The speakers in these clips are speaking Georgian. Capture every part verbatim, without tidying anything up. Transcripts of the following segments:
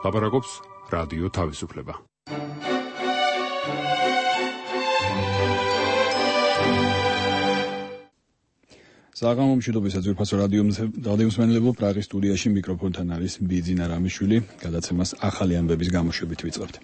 ლაპარაკობს რადიო თავისუფლება. საღამო მშვიდობისა ძვირფასო რადიომსმენელებო, პრაღის სტუდიაში მიკროფონთან არის ბიძინა რამიშვილი, გადაცემას ახალი ამბების გამოშვებით ვიწყებთ.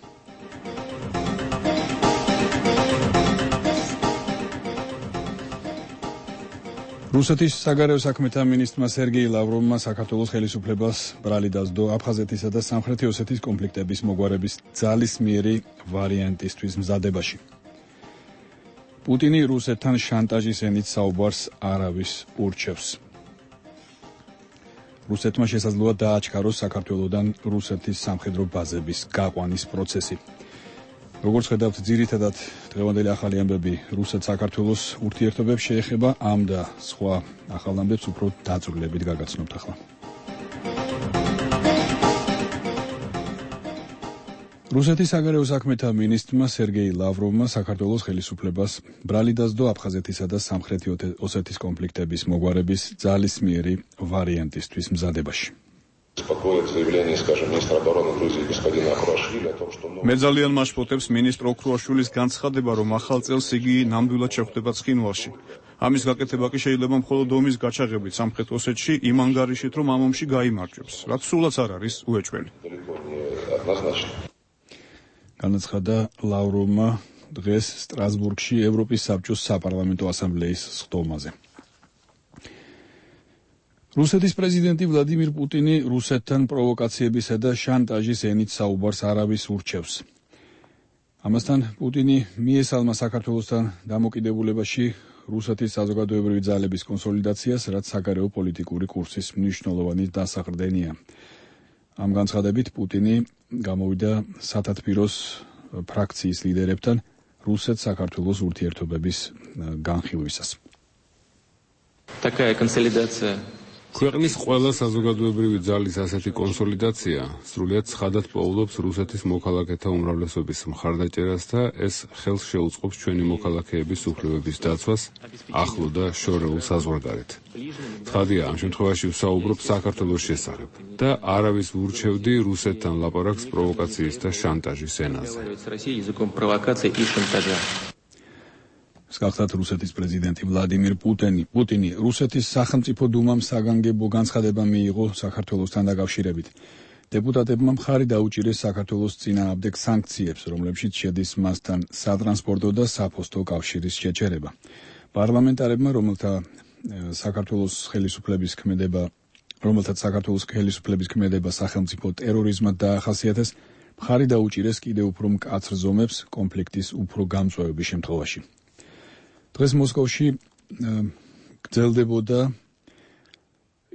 რუსეთის საგარეო საქმეთა მინისტრმა სერგეი ლავროვმა საქართველოს ხელისუფლებას ბრალი დასდო აფხაზეთისა და სამხრეთი ოსეთის კონფლიქტების მოგვარების ძალისმიერი ვარიანტისთვის მზადებაში. პუტინი რუსეთთან შანტაჟის ენით საუბარს არავის ურჩევს. რუსეთმა შესაძლოა დააჩქაროს საქართველოდან რუსეთის სამხედრო ბაზების გაყვანის პროცესი. როგორც ხედავთ, ძირითადად დღევანდელი ახალი ამბები რუსეთ-საქართველოს ურთიერთობებს შეეხება, ამ და სხვა ახალ ამბებს უფრო დაწვრილებით გაგაცნობთ ახლა. რუსეთის საგარეო საქმეთა მინისტრმა სერგეი ლავროვმა საქართველოს ხელისუფლებას ბრალი დასდო აფხაზეთისა და სამხრეთი ოსეთის კონფლიქტების მოგვარების ძალისმიერი ვარიანტისთვის მზადებაში. მე ძალიან მაშფოთებს მინისტრ ოქრუაშვილის განცხადება, რომ ახალ წელს იგი ნამდვილად შეხვდება ცხინვალში. ამის გაკეთება კი შეიძლება მხოლოდ ომის გაჩაღებით სამხრეთ ოსეთში, იმ ანგარიშით, რომ ამ ომში გაიმარჯვებს, რაც სულაც არ არის უეჭველი. განაცხადა ლავროვმა დღეს სტრასბურგში ევროპის საბჭოს საპარლამენტო ასამბლეის სხდომაზე. რუსეთის პრეზიდენტი ვლადიმირ პუტინი რუსეთთან პროვოკაციებისა და შანტაჟის ენით საუბარს არავის ურჩევს. ამასთან პუტინი მიესალმა საქართველოსთან დამოკიდებულებაში რუსეთის საზოგადოებრივი ძალების კონსოლიდაციას, რაც საგარეო პოლიტიკური კურსის მნიშვნელოვანი დასაყრდენია. ამ განცხადებით პუტინი გამოვიდა სათათბიროს ფრაქციის ლიდერებთან რუსეთ-საქართველოს ურთიერთობების განხილვისას. Такая консолидация. ქვეყნის ყველა საზოგადოებრივი ძალის ასეთი კონსოლიდაცია სრულიად ცხადად პოულობს რუსეთის მოქალაქეთა უმრავლესობის მხარდაჭერას და ეს ხელს შეუწყობს ჩვენი მოქალაქეების უფლებების დაცვას ახლო და შორეულ საზღვარგარეთ. ცხადია, ამ შემთხვევაში ვსაუბრობ საქართველოს შესახებ და არავის ვურჩევდი რუსეთთან ლაპარაკს პროვოკაციის და შანტაჟის ენაზე. გახსოვთ რუსეთის პრეზიდენტი ვლადიმირ პუტინი. პუტინი რუსეთის სახელმწიფო დუმამ საგანგებო განცხადება მიიღო საქართველოსთან დაკავშირებით. დეპუტატებმა მხარი დაუჭირეს საქართველოს წინააღმდეგ სანქციებს, რომლებშიც შედის მასთან სატრანსპორტო და საფოსტო კავშირის შეჩერება. პარლამენტარებმა, რომელთა საქართველოს ხელისუფლების ქმედება, რომელთაც საქართველოს ხელისუფლების ქმედება სახელმწიფო ტერორიზმად დაახასიათეს, მხარი დაუჭირეს კიდევ უფრო მკაცრ ზომებს კონფლიქტის უფრო გამწვევების შემთხვევაში. დღეს მოსკოვში გრძელდებოდა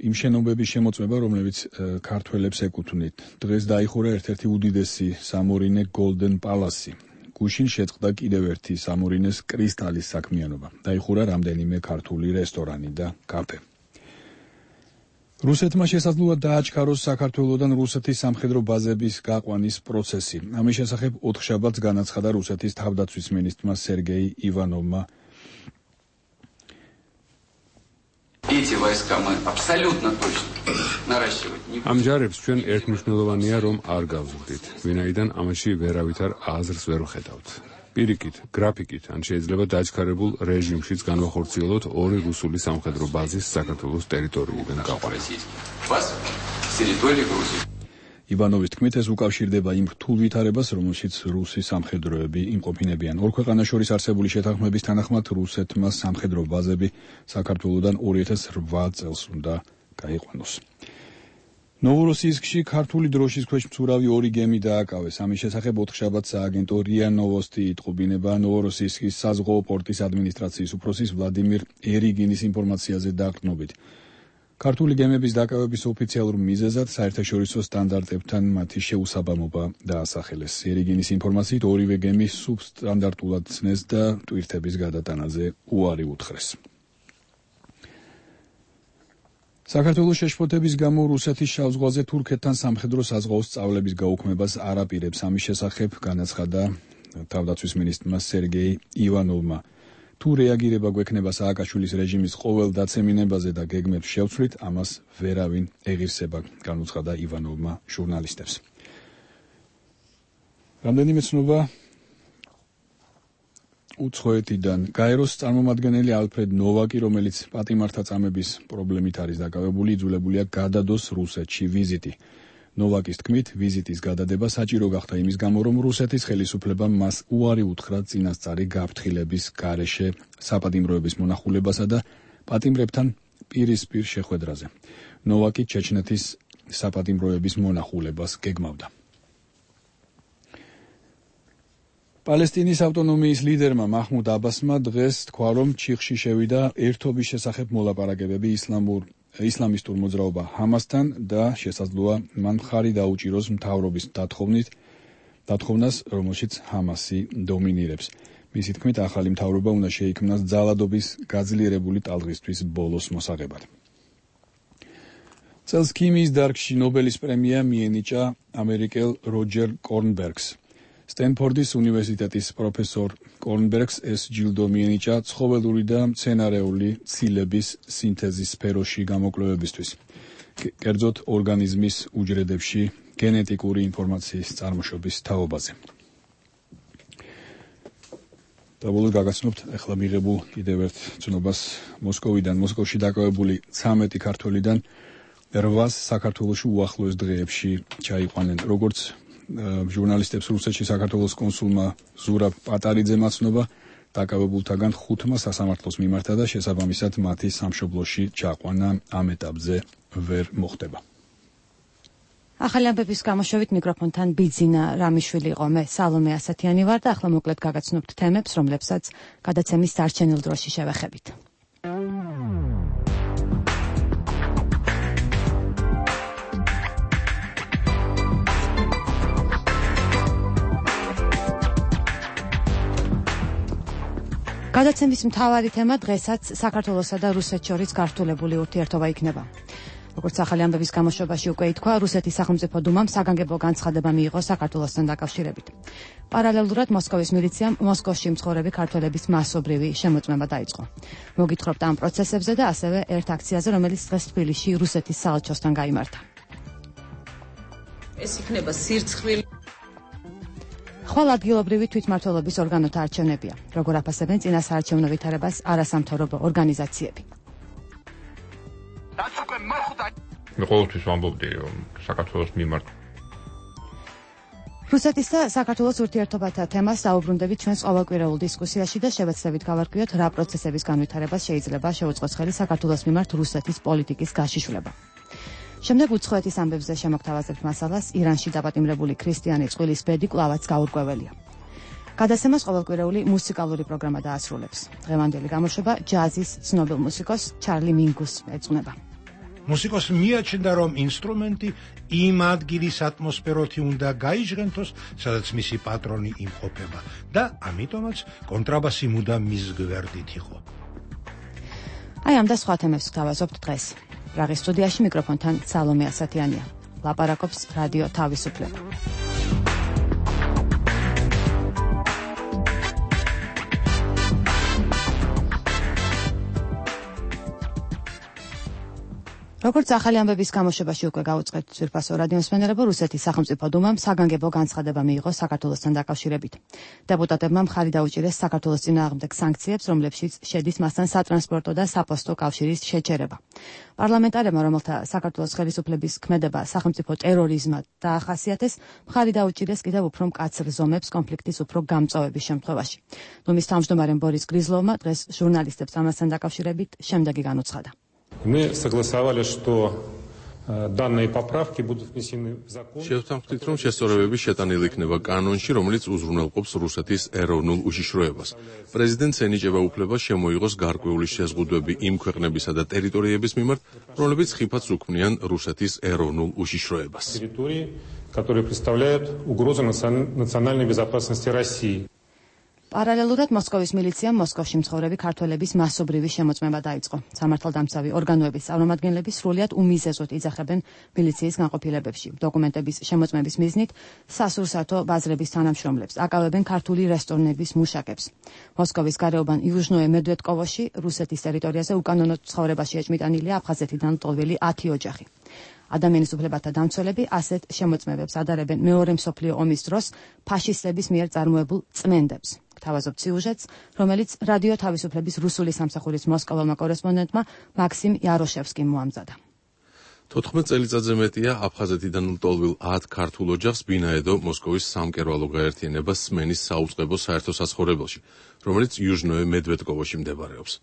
იმ შენობების შემოწმება, რომლებიც ქართველებს ეკუთვნით. დღეს დაიხურა ერთ-ერთი უდიდესი სამორინე Golden Palace. გუშინ შეწყდა კიდევ ერთი სამორინეს კრისტალის საქმიანობა. დაიხურა რამდენიმე ქართული რესტორანი და კაფე. რუსეთმა შესაძლოა დააჩქაროს საქართველოდან რუსეთის სამხედრო ბაზების გაყვანის პროცესი. ამის შესახებ ოთხშაბათს განაცხადა რუსეთის თავდაცვის მინისტრმა სერგეი ივანოვმა. ამ ჯარებს ჩვენ ერთმნიშვნელოვანია, რომ არ გავზრდით, ვინაიდან ამაში ვერავითარ აზრს ვერ ვხედავთ. პირიქით, გრაფიკით, ან შეიძლება დაჩქარებულ რეჟიმშიც განვახორციელოთ ორი რუსული სამხედრო ბაზის საქართველოს ტერიტორიიდან გაყვანა. ივანოვის თქმით, ეს უკავშირდება იმ რთულ ვითარებას, რომელშიც რუსი სამხედროები იმყოფინებიან. ორ ქვეყანას შორის არსებული შეთანხმების თანახმად რუსეთმა სამხედრო ბაზები საქართველოდან ორი ათას რვა წელს უნდა გაიყვანოს. ნოვოროსიისკში ქართული დროშის ქვეშ მცურავი ორი გემი დააკავეს. ამის შესახებ ოთხშაბათს სააგენტო რია ნოვოსტი იტყობინება ნოვოროსიისკის საზღვაო პორტის ადმინისტრაციის უფროსის ვლადიმირ ერიგინის ინფორმაციაზე დაყრდნობით. ქართული გემების დაკავების ოფიციალურ მიზეზად საერთაშორისო სტანდარტებთან მათი შეუსაბამობა დაასახელეს. ერიგინის ინფორმაციით ორივე გემი სუბსტანდარტულად ცნეს და ტვირთების გადატანაზე უარი უთხრეს. საქართველოს შეშფოთების გამო რუსეთის შავ ზღვაზე თურქეთთან სამხედრო საზღვაო სწავლების გაუქმებას არ აპირებს. ამის შესახებ განაცხადა თავდაცვის მინისტრმა სერგეი ივანოვმა. თუ რეაგირება გვექნება სააკაშვილის რეჟიმის ყოველ დაცემინებაზე და გეგმებს შევცვლით, ამას ვერავინ ეღირსება, განუცხადა ივანოვმა ჟურნალისტებს. რამდენიმე ცნობა უცხოეთიდან. გაეროს წარმომადგენელი ალფრედ ნოვაკი, რომელიც პატიმართა წამების პრობლემით არის დაკავებული, იძულებულია გადადოს რუსეთში ვიზიტი. ნოვაკის თქმით, ვიზიტის გადადება საჭირო გახდა იმის გამო, რომ რუსეთის ხელისუფლებამ მას უარი უთხრა წინასწარი გაფრთხილების გარეშე საპატიმროების მონახულებასა და პატიმრებთან პირისპირ შეხვედრაზე. ნოვაკი ჩეჩნეთის საპატიმროების მონახულებას გეგმავდა. პალესტინის ავტონომიის ლიდერმა მაჰმუდ აბასმა დღეს თქვა, რომ ჩიხში შევიდა ერთობის შესახებ მოლაპარაკებები ისლამურ ისლამისტურ მოძრაობა ჰამასთან და შესაძლოა მან მხარი დაუჭიროს მთავრობის დათხოვნით, დათოვნას, რომელშიც ჰამასი დომინირებს. მისი თქმით, ახალი მთავრობა უნდა შეიქმნას ძალადობის გაძლიერებული ტალღისთვის ბოლოს მოსაღებად. წელს ქიმიის დარგში ნობელის პრემია მიენიჭა ამერიკელ როჯერ კორნბერგს. სტენფორდის უნივერსიტეტის პროფესორ კორნბერგს ეს ჯილდო მიენიჭა ცხოველური და მცენარეული ცილების სინთეზის სფეროში გამოკვლევებისთვის. კერძოდ ორგანიზმის უჯრედებში გენეტიკური ინფორმაციის წარმოშობის თაობაზე. და ბოლოს გაგაცნობთ ახლა მიღებულ კიდევ ერთ ცნობას მოსკოვიდან. მოსკოვში დაკავებული ცამეტი ქართველიდან რვას საქართველოში უახლოეს დღეებში ჩაიყვანენ. როგორც ჟურნალისტებს რუსეთში საქართველოს კონსულმა ზურაბ პატარიძემ აცნობა, დაკავებულთაგან ხუთმა სასამართლოს მიმართა და შესაბამისად მათი სამშობლოში ჩაყვანა ამ ეტაპზე ვერ მოხდება. ახალი ამბების გამოშვებით მიკროფონთან ბიძინა რამიშვილი იყო, მე სალომე ასათიანი ვარ და ახლა მოკლედ გაგაცნობთ თემებს, რომლებსაც გადაცემის დარჩენილ დროში შევეხებით. გადაცემის მთავარი თემა დღესაც საქართველოსა და რუსეთს შორის გართულებული ურთიერთობა იქნება. როგორც ახალი ამბების გამოშვებაში უკვე ითქვა, რუსეთის სახელმწიფო დუმამ საგანგებო განცხადება მიიღო საქართველოსთან დაკავშირებით. პარალელურად მოსკოვის მილიციამ მოსკოვში მცხოვრები ქართველების მასობრივი შემოწმება დაიწყო. მოგითხრობთ ამ პროცესებზე და ასევე ერთ აქციაზე, რომელიც დღეს თბილისში რუსეთის საელჩოსთან გაიმართა. ეს იქნება სირცხვილი ხვალ ადგილობრივი თვითმმართველობის ორგანოთა არჩევნებია, როგორ აფასებენ წინასაარჩევნო ვითარებას არასამთავრობო ორგანიზაციები. მე ყოველთვის ვამბობდი, რომ საქართველოს მიმართ რუსეთის და საქართველოს ურთიერთობათა თემას დაუბრუნდებით ჩვენს ყოველკვირეულ დისკუსიაში და შევეცდებით გავარკვიოთ, რა პროცესების განვითარებას შეიძლება შეუწყოს ხელი საქართველოს მიმართ რუსეთის პოლიტიკის გაშიშვლება. შემდეგ უცხოეთის ამბებზე შემოგთავაზებთ მასალას, ირანში დაპატიმრებული ქრისტიანი წყვილის ბედი კვლავაც გაურკვეველია. გადაცემას ყოველკვირეული მუსიკალური პროგრამა დაასრულებს. დღევანდელი გამოშვება ჯაზის ცნობილ მუსიკოს ჩარლი მინგუს ეძღვნება. მუსიკოს მიაჩნდა, რომ ინსტრუმენტი იმ ადგილის ატმოსფეროთი უნდა გაიჟღენთოს, სადაც მისი პატრონი იმყოფება და ამიტომაც კონტრაბასი მუდამ მის გვერდით იყო. აი ამ და სხვა თემებს ვთავაზობთ დღეს. პრაღის სტუდიაში მიკროფონთან სალომე ასათიანია. ლაპარაკობს რადიო თავისუფლება. როგორც ახალი ამბების გამოშვებაში უკვე გაუწყეთ ძვირფასო რადიომსმენელებო, რუსეთის სახელმწიფო დუმამ საგანგებო განცხადება მიიღო საქართველოსთან დაკავშირებით. დეპუტატებმა მხარი დაუჭირეს საქართველოს წინააღმდეგ სანქციებს, რომლებშიც შედის მასთან სატრანსპორტო და საფოსტო კავშირის შეჩერება. პარლამენტარებმა, რომელთა საქართველოს ხელისუფლების ქმედება სახელმწიფო ტერორიზმად დაახასიათეს, მხარი დაუჭირეს კიდევ უფრო მკაცრ ზომებს კონფლიქტის უფრო გამწვავების შემთხვევაში. დუმის თავმჯდომარემ ბორის გრიზლოვმა დღეს ჟურნალისტებს ამასთან დაკავშირებით შემდეგი განუცხადა. Мы согласовали, что данные поправки будут внесены в закон. შევთანხმდით, რომ შესწორებები შეტანილი იქნება კანონში, რომელიც უზრუნველყოფს რუსეთის ეროვნულ უშიშროებას. პრეზიდენტს ენიჭება უფლება შემოიღოს გარკვეული შეზღუდვები იმ ქვეყნებისა და ტერიტორიების მიმართ, რომლებიც ხიფათს უქმნიან რუსეთის ეროვნულ უშიშროებას. Территории, которые представляют угрозу национальной безопасности России. პარალელურად მოსკოვის მილიციამ მოსკოვში მცხოვრები ქართველების მასობრივი შემოწმება დაიწყო. სამართალდამცავი ორგანოების წარმომადგენლები სრულიად უმიზეზოდ იძახებენ მილიციის განყოფილებებში. დოკუმენტების შემოწმების მიზნით სასურსათო ბაზრების თანამშრომლებს აკავებენ ქართული რესტორნების მუშაკებს. მოსკოვის გარეუბან იუჟნოე მედვედკოვოში, რუსეთის ტერიტორიაზე უკანონოდ ცხოვრებაში ეჭმიტანილია აფხაზეთიდან ლტოლვილი ათი ოჯახი. ადამიანის უფლებათა დამცველები ასეთ შემოწმებებს ადარებენ მეორე მსოფლიო ომის დროს ფაშისტების მიერ წარმოებულ წმენდებს. Გთავაზობთ სიუჟეტს, რომელიც რადიო თავისუფლების რუსული სამსახურის მოსკოველმა კორესპონდენტმა მაქსიმ იაროშევსკიმ მოამზადა. თოთხმეტ წელიწადზე მეტია აფხაზეთიდან ლტოლვილ ათ ქართულ ოჯახს ბინაედო მოსკოვის სამკერვალო გაერთიანება სმენის საუწყებო საერთო საცხოვრებელში, რომელიც იუჟნოე მედვედკოვოში მდებარეობს.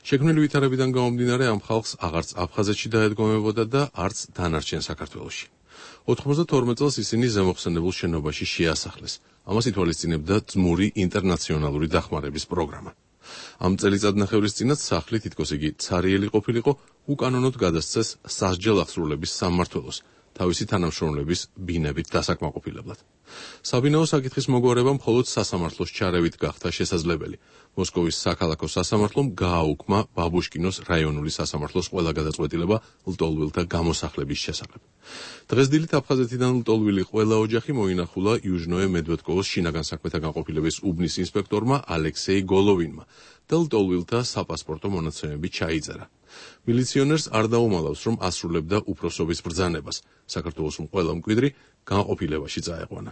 შექმნილი ვითარებიდან გამომდინარე ამ ხალხს აღარც აფხაზეთში დაედგომებოდა და არც დანარჩენ საქართველოში. ოთხმოცდათორმეტ წელს ისინი ზემოხსენებულ შენობაში შეასახლეს. ამას ითვალისწინებდა ძმური ინტერნაციონალური დახმარების პროგრამა. ამ წელიწადნახევრის წინათ სახლი, თითქოს იგი ცარიელი ყოფილიყო, უკანონოდ გადასცეს სასჯელ აღსრულების სამმართველოს, თავისი თანამშრომლების ბინებით დასაკმაყოფილებლად. საბინაო საკითხის მოგვარება მხოლოდ სასამართლოს ჩარევით გახდა შესაძლებელი. მოსკოვის საქალაქო სასამართლომ გააუქმა ბაბუშკინოს რაიონული სასამართლოს ყველა გადაწყვეტილება ლტოლვილთა გამოსახლების შესახებ. დღეს დილით აფხაზეთიდან ლტოლვილი ყველა ოჯახი მოინახულა იუჟნოე მედვედკოვოს შინაგან საქმეთა განყოფილების უბნის ინსპექტორმა ალექსეი გოლოვინმა და ლტოლვილთა საპასპორტო მონაცემები ჩაიწერა. მილიციონერს არ დაუმალავს, რომ ასრულებდა უფროსობის ბრძანებას. საქართველოს ყველა მკვიდრი განყოფილებაში წაეყვანა.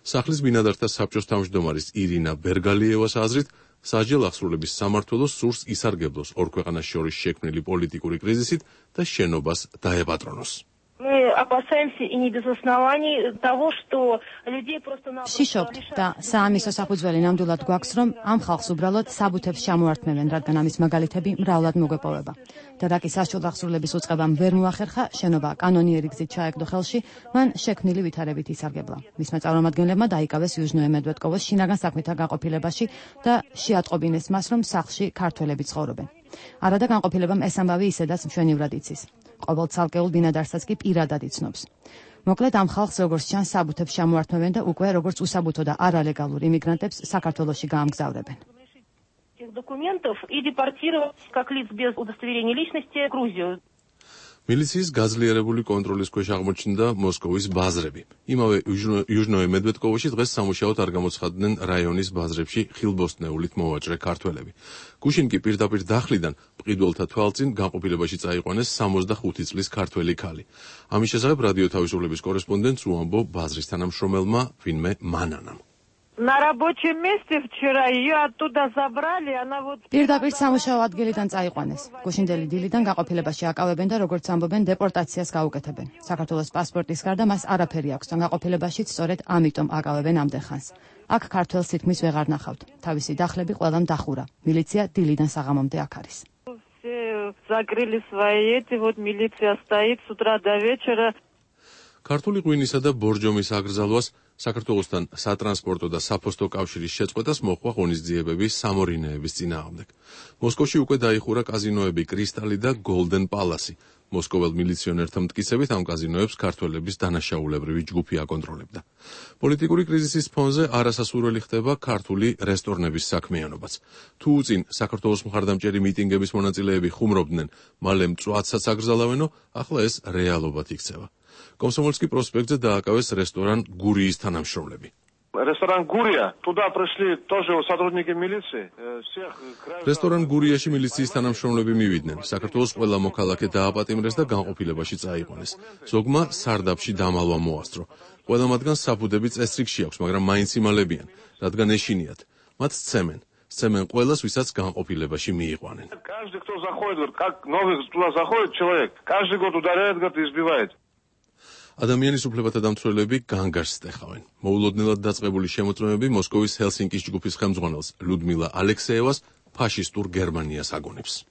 სახლის ბინადართა საბჭოს თავმჯდომარის ირინა ბერგალიევას აზრით, სასჯელ აღსრულების სამმართველოს სურს ისარგებლოს ორ ქვეყანას შორის შექმნილი პოლიტიკური კრიზისით და შენობას დაეპატრონოს. შიშობთ და საამისო საფუძველი ნამდვილად გვაქვს, რომ ამ ხალხს უბრალოდ საბუთებს ჩამოართმევენ, რადგან ამის მაგალითები მრავლად მოგვეპოვება. და რაკის სასჯელ აღსრულების უწყებამ ვერ მოახერხა, შენობა კანონიერი გზით ჩაეგდო ხელში, მან შექმნილი ვითარებით ისარგებლა. მისმა წარმომადგენლებმა დაიკავეს იუჟნოე მედვედკოვოს შინაგან საქმეთა განყოფილებაში და შეატყობინეს მას, რომ სახლში ქართველები ცხოვრობენ. არადა განყოფილებამ ეს ამბავი ისედაც მშვენივრად იცის. ყოველ ცალკეულ ბინადარსაც კი პირადად იცნობს. მოკლედ ამ ხალხს როგორც ჩანს საბუთებს ჩამოართმევენ და უკვე როგორც უსაბუთო და არალეგალურ იმიგრანტებს საქართველოში გაამგზავრებენ. მილიციის გაძლიერებული კონტროლის ქვეშ აღმოჩნდა მოსკოვის ბაზრები. იმავე იუჟნოე მედვედკოვოში დღეს სამუშაოდ არ გამოცხადდნენ რაიონის ბაზრებში ხილბოსტნეულით მოვაჭრე ქართველები. გუშინ კი პირდაპირ დახლიდან მყიდველთა თვალწინ განყოფილებაში წაიყვანეს სამოცდახუთი წლის ქართველი ქალი. ამის შესახებ რადიო თავისუფლების კორესპონდენტს უამბო ბაზრის თანამშრომელმა ვინმე მანანამ. პირდაპირ სამუშაო ადგილიდან წაიყვანეს. გუშინდელი დილიდან გაყოფილებაში აკავებენ და როგორც ამბობენ, დეპორტაციას გაუკეთებენ. საქართველოს პასპორტის გარდა მას არაფერი აქვს და გაყოფილებაშიც სწორედ ამიტომ აკავებენ ამდენ ხანს. აქ ქართველს თითქმის ვეღარ ნახავთ. თავისი დახლები ყველამ დახურა. მილიცია დილიდან საღამომდე აქ არის. ქართული ღვინისა და ბორჯომის აგრძალვას საქართველოსთან სატრანსპორტო და საფოსტო კავშირის შეწყვეტას მოჰყვა ღონისძიებები სამორინეების წინააღმდეგ. მოსკოვში უკვე დაიხურა კაზინოები კრისტალი და გოლდენ პალასი. მოსკოველ მილიციონერთა მტკიცებით ამ კაზინოებს ქართველების დანაშაულებრივი ჯგუფი აკონტროლებდა. პოლიტიკური კრიზისის ფონზე არასასურველი ხდება ქართული რესტორნების საქმიანობაც. თუ უწინ საქართველოს მხარდამჭერი მიტინგების მონაწილეები ხუმრობდნენ, მალე მწვადსაც აკრძალავენო, ახლა ეს რეალობად იქცევა. Комсомольский проспектზე დააკავეს რესტორან გურიის თანამშრომლები. Ресторан Гурия, туда пришли тоже сотрудники милиции. Ресторан გურიაში მილიციის თანამშრომლები მივიდნენ. საქართველოს ყველა მოქალაქე დააპატიმრეს და განყოფილებაში წაიყვანეს. ზოგმა სარდაფში დამალვა მოასწრო. ყველა მათგანს საფუდები წესრიგში აქვს, მაგრამ მაინც იმალებიან, რადგან ეშინიათ. მათ სცემენ. Сцемен ყველას, ვისაც განყოფილებაში მიიყვანენ. Каждый, кто заходит, как новый туда заходит человек, каждый год ударяет, говорит, избивает. ადამიანის უფლებათა დამცველები განგარს სტეხავენ. მოულოდნელად დაწყებული შემოწმებები მოსკოვის ჰელსინკის ჯგუფის ხელმძღვანელს ლუდმილა ალექსეევას ფაშისტურ გერმანიას აგონებს.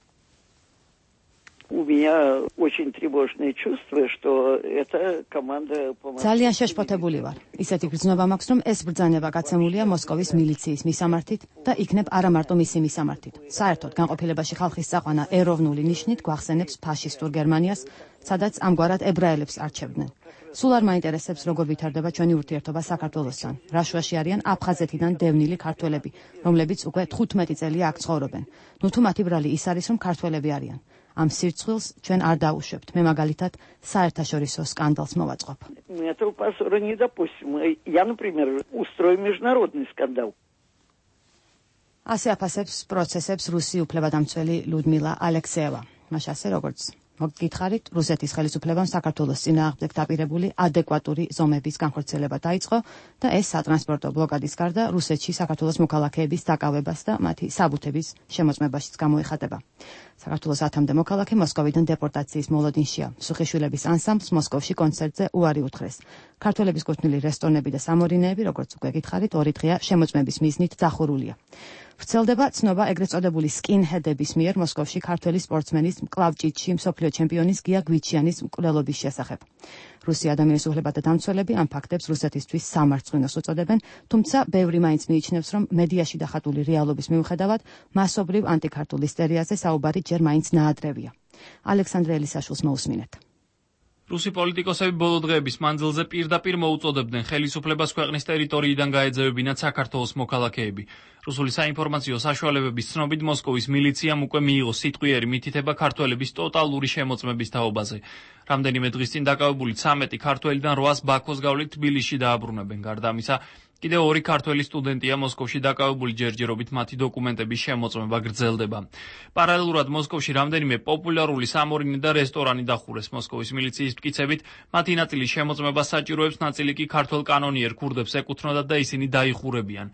У меня очень тревожное чувство, что эта команда помогает. ძალიან შეშფოთებული ვარ. ისეთი გრძნობა მაქვს, რომ ეს ბრძანება გაცემულია მოსკოვის მილიციის მისამართით და იქნებ არა მარტო მისი მისამართით. საერთოდ განყოფილებაში ხალხის წაყვანა ეროვნული ნიშნით გვახსენებს ფაშისტურ გერმანიას, სადაც ამგვარად ებრაელებს არჩევდნენ. სულ არ მაინტერესებს, როგორ ვითარდება ჩვენი ურთიერთობა საქართველოსთან. რა შუაში არიან აფხაზეთიდან დევნილი ქართველები, რომლებიც უკვე თხუთმეტი წელია აქ ცხოვრობენ. ნუ თუ მათი ბრალი ის არის, რომ ქართველები არიან. ამ სირცხვილს ჩვენ არ დაუშვებთ. მე მაგალითად საერთაშორისო სკანდალს მოვაწყობ. Этого позора не допустим. Я, например, устрою международный скандал. ასე აფასებს პროცესებს რუსი უფლებადამცველი ლუდმილა ალექსეევა. მას ასე როგორც მოგკითხარით, რუსეთის ხელისუფლებამ საქართველოს წინააღმდეგ დაპირებული ადეკვატური ზომების განხორციელება დაიწყო და ეს სატრანსპორტო ბლოკადის გარდა რუსეთში საქართველოს მოქალაქეების დაკავებას და მათი საბუთების შემოწმებაშიც გამოიხატება. საქართველოს ათამდე მოქალაქე მოსკოვიდან დეპორტაციის მოლოდინშია. სუხიშვილების ანსამბლს მოსკოვში კონცერტზე უარი უთხრეს. ქართველების კუთვნილი რესტორნები და სამორინეები, როგორც უკვე გითხარით, ორი დღეა შემოწმების მიზნით დახურულია. ვრცელდება ცნობა ეგრეთ წოდებული სკინჰედების მიერ მოსკოვში ქართველი სპორტსმენის მკლავჭიდში მსოფლიო ჩემპიონის გია გვიჩიანის მკვლელობის შესახებ. რუსი ადამიანის უფლებათა დამცველები ამ ფაქტებს რუსეთისთვის სამარცხვინოს უწოდებენ, თუმცა ბევრი მაინც მიიჩნევს, რომ მედიაში დახატული რეალობის მიუხედავად მასობრივ ანტიქართულ ისტერიაზე საუბარი ჯერ მაინც ნაადრევია. ალექსანდრე ელისაშვილს მოусმინეთ. რუსი პოლიტიკოსები ბოლო დღეების მანძილზე პირდაპირ მოუწოდებდნენ ხელისუფლებას ქვეყნის ტერიტორიიდან გაეძევებინათ საქართველოს მოქალაქეები. რუსული საინფორმაციო საშუალებების ცნობით მოსკოვის მილიციამ უკვე მიიღო სიტყვიერი მითითება ქართველების ტოტალური შემოწმების თაობაზე. რამდენიმე დღის წინ დაკავებული ცამეტი ქართველიდან რვას ბაქოს გავლით თბილისში დააბრუნებენ. გარდა ამისა, კიდევ ორი ქართველი სტუდენტია მოსკოვში დაკავებული ჯერჯერობით მათი დოკუმენტების შემოწმება გრძელდება. პარალელურად მოსკოვში რამდენიმე პოპულარული სამორინე და რესტორანი დახურეს. მოსკოვის მილიციის მტკიცებით, მათი ნაწილი შემოწმებას საჭიროებს, ნაწილი კი ქართველ კანონიერ ქურდებს ეკუთვნოდათ და ისინი დაიხურებიან.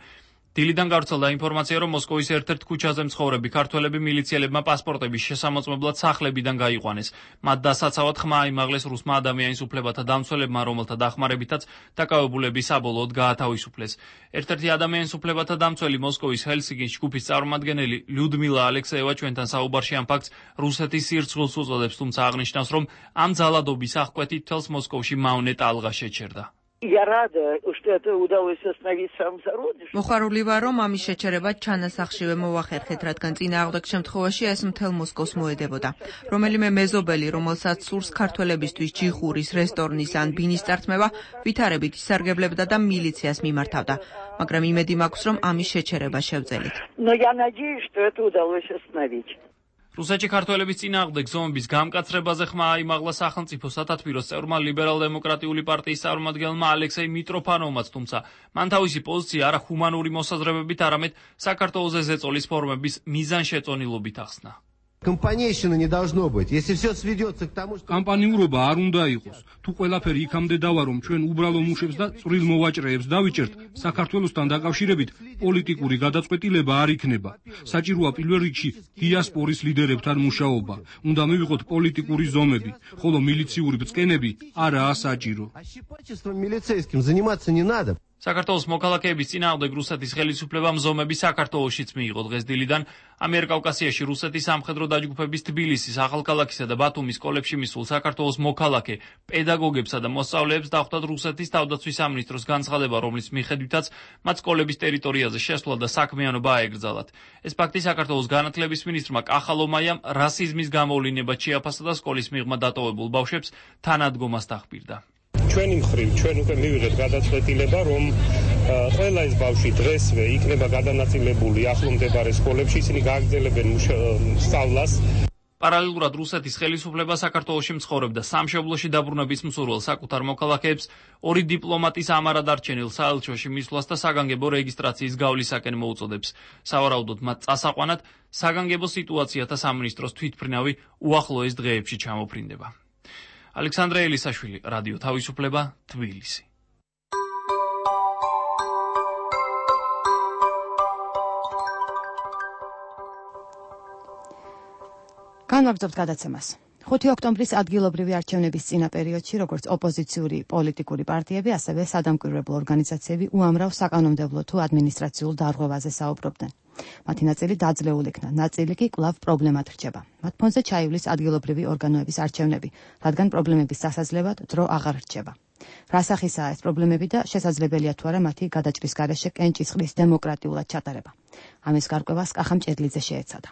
დილიდან გავრცელდა ინფორმაცია, რომ მოსკოვის ერთ-ერთ ქუჩაზე მცხოვრები ქართველები მილიციელებმა პასპორტების შესამოწმებლად სახლებიდან გაიყვანეს. მათ დასაცავად ხმა აიმაღლეს რუსმა ადამიანის უფლებათა დამცველებმა, რომელთა დახმარებითაც დაკავებულები საბოლოოდ გაათავისუფლეს. ერთ-ერთი ადამიანის უფლებათა დამცველი მოსკოვის ჰელსინკის ჯგუფის წარმომადგენელი ლიუდმილა ალექსეევა ჩვენთან საუბარში ამ ფაქტს რუსეთის სირცხვილს უწოდებს, თუმცა აღნიშნავს, რომ ამ ძალადობის აღკვეთით თელს მოსკოვში მავნე ტალღა შეჩერდა. Я рада, что это удалось остановить в самом зародыше. მოხარული ვარ, რომ ამის შეჩერება ჩანასახშივე მოახერხეთ, რადგან წინააღმდეგ შემთხვევაში ეს მთელ მოსკოვს მოედებოდა. რომელიმე მეზობელი, რომელსაც სურს ქართველებისთვის ჯიხურის, რესტორნის ან ბინის წართმევა, ვითარებით ისარგებლებდა და მილიციას მიმართავდა. მაგრამ იმედი მაქვს, რომ ამის შეჩერება შევძელით. Но я надеюсь, что это удалось остановить. რუსეთში ქართველების წინააღმდეგ ზომების გამკაცრებაზე ხმა აიმაღლა სახელმწიფო სათათბიროს წევრმა ლიბერალ-დემოკრატიული პარტიის წარმომადგენელმა ალექსეი მიტროფანოვმაც, თუმცა მან თავისი პოზიცია არა ჰუმანური მოსაზრებებით, არამედ საქართველოზე ზეწოლის ფორმების მიზანშეწონილობით ახსნა. Компанейщины не должно быть. Если все сведется к тому, что Компаниურობა არ უნდა იყოს. თუ ყველაფერი იქამდე დავა, რომ ჩვენ უბრალო მუშებს და წვრილ მოვაჭრეებს დავიჭერთ, საქართველოსთან დაკავშირებით პოლიტიკური გადაწყვეტილება არ იქნება. საჭიროა პირველ რიგში დიასპორის ლიდერებთან მუშაობა. უნდა მივიღოთ პოლიტიკური ზომები, ხოლო მილიციური ბრძკენები არაა საჭირო. милицейским заниматься не надо. საქართველოს მოქალაქეების წინააღმდეგ რუსეთის ხელისუფლებამ ზომები საქართველოშიც მიიღო. დღეს დილიდან ამიერკავკასიაში რუსეთის სამხედრო დაჯგუფების თბილისის, ახალქალაქისა და ბათუმის სკოლებში მისულ საქართველოს მოქალაქე პედაგოგებსა და მოსწავლეებს დახვდათ რუსეთის თავდაცვის სამინისტროს განცხადება, რომლის მიხედვითაც მათ სკოლების ტერიტორიაზე შესვლა და საქმიანობა აეგრძალათ. ეს ფაქტი საქართველოს განათლების მინისტრმა კახალომაიამ რასიზმის გამოვლინებად შეაფასა და სკოლის მიღმა დატოვებულ ბავშვებს თანადგომას დახბირდა. ჩვენი მხრივ ჩვენ უკვე მივიღეთ გადაწყვეტილება, რომ ყველა ეს ბავშვი დღესვე იქნება გადანაწილებული ახლო მდებარე სკოლებში, ისინი გააგრძელებენ სწავლას. პარალელურად რუსეთის ხელისუფლება საქართველოში მცხოვრებდა სამშობლოში დაბრუნების მსურველ საკუთარ მოქალაქეებს ორი დიპლომატის ამარად არჩენილ საელჩოში მისვლას და საგანგებო რეგისტრაციის გავლისაკენ მოუწოდებს. სავარაუდოდ მათ წასაყვანად საგანგებო სიტუაციათა სამინისტროს თვითმფრინავი უახლოეს დღეებში ჩამოფრინდება. ალექსანდრე ელისაშვილი, რადიო თავისუფლება, თბილისი. განვაგრძობთ გადაცემას. ხუთი ოქტომბრის ადგილობრივი არჩევნების წინა პერიოდში, როგორც ოპოზიციური პოლიტიკური პარტიები, ასევე სადამკვირვებლო ორგანიზაციები უამრავ საკანონმდებლო თუ ადმინისტრაციულ დარღვევაზე საუბრობდნენ. მათი ნაწილი დაძლეულ იქნა, ნაწილი კი კვლავ პრობლემად რჩება. მათ ფონზე ჩაივლის ადგილობრივი ორგანოების არჩევნები, რადგან პრობლემების სასაძლევად დრო აღარ რჩება. რა სახისაა ეს პრობლემები და შესაძლებელია თუ არა მათი გადაჭრის გარეშე კენჭისყრის დემოკრატიულად ჩატარება. ამის გარკვევას კახა მჭედლიძე შეეცადა.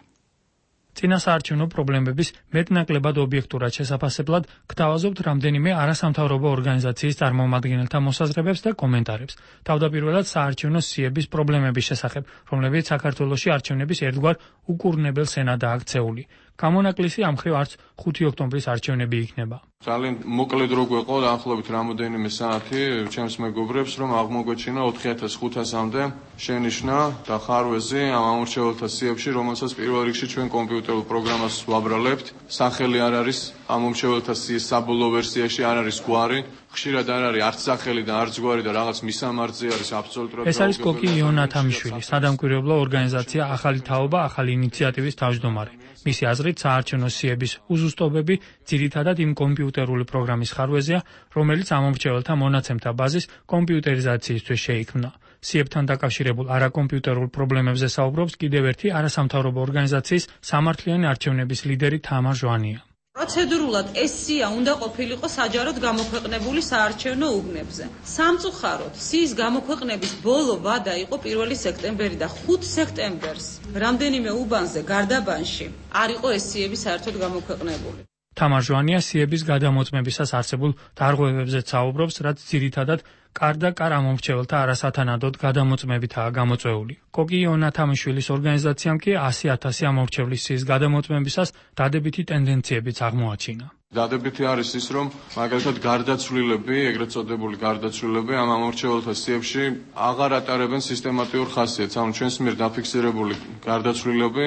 წინასაარჩევნო პრობლემების მეტნაკლებად ობიექტურად შესაფასებლად გთავაზობთ რამდენიმე არასამთავრობო ორგანიზაციის წარმომადგენელთა მოსაზრებებს და კომენტარებს. თავდაპირველად საარჩევნო სიების პრობლემების შესახებ, რომლებიც საქართველოში არჩევნების ერთგვარ უკურნებელ სენადაა აქცეული. გამონაკლისი ამ მხრივ არც ხუთი ოქტომბრის არჩევნები იქნება. ძალიან მოკლედ რო გვეყო დაახლოებით რამოდენიმე საათი ჩემს მეგობრებს რომ აღმოგვეჩინა ოთხი ათას ხუთასამდე შენიშვნა და ხარვეზი ამ ამორჩეველთა სიებში, რომელსაც პირველ რიგში ჩვენ კომპიუტერულ პროგრამას ვაბრალებთ. სახელი არ არის ამ ამორჩეველთა სიის საბოლოო ვერსიაში, არ არის გვარი, ხშირად არ არის არც სახელი და არც გვარი და რაღაც მისამართზე არის აბსოლუტურად. ეს არის კოკი იონათამიშვილი, სადამკვირვებლო ორგანიზაცია ახალი თაობა, ახალი ინიციატივის თავმჯდომარე. მისი აზრით, საარჩევნო სიების უზუსტობები ძირითადად იმ კომპიუტერული პროგრამის ხარვეზია, რომელიც ამომრჩეველთა მონაცემთა ბაზის კომპიუტერიზაციისთვის შეიქმნა. სიებთან დაკავშირებულ არაკომპიუტერულ პრობლემებზე საუბრობს კიდევ ერთი არასამთავრობო ორგანიზაციის სამართლიანი არჩევნების ლიდერი თამარ ჟვანია. პროცედურულად ეს სია უნდა ყოფილიყო საჯაროდ გამოქვეყნებული საარჩევნო უბნებზე. სამწუხაროდ, სიის გამოქვეყნების ბოლო ვადა იყო პირველი სექტემბერი და ხუთი სექტემბერს რამდენიმე უბანზე გარდაბანში არ იყო ეს სიები საერთოდ გამოქვეყნებული. თამარ ჟვანია სიების გადამოწმებისას არსებულ დარღვევებზე საუბრობს, რაც ძირითადად კარ და კარ ამომრჩეველთა არასათანადოდ გადამოწმებითაა გამოწვეული. კოკი იონათამიშვილის ორგანიზაციამ კი ასი ათასი ამომრჩევლის სიის გადამოწმებისას დადებითი ტენდენციებიც აღმოაჩინა. დადებითი არის ის, რომ მაგალითად გარდაცვლილები, ეგრეთ წოდებული გარდაცვლილები ამ ამორჩეველთა სიებში აღარ ატარებენ სისტემატიურ ხასიათს. ამ ჩვენს მიერ დაფიქსირებული გარდაცვლილები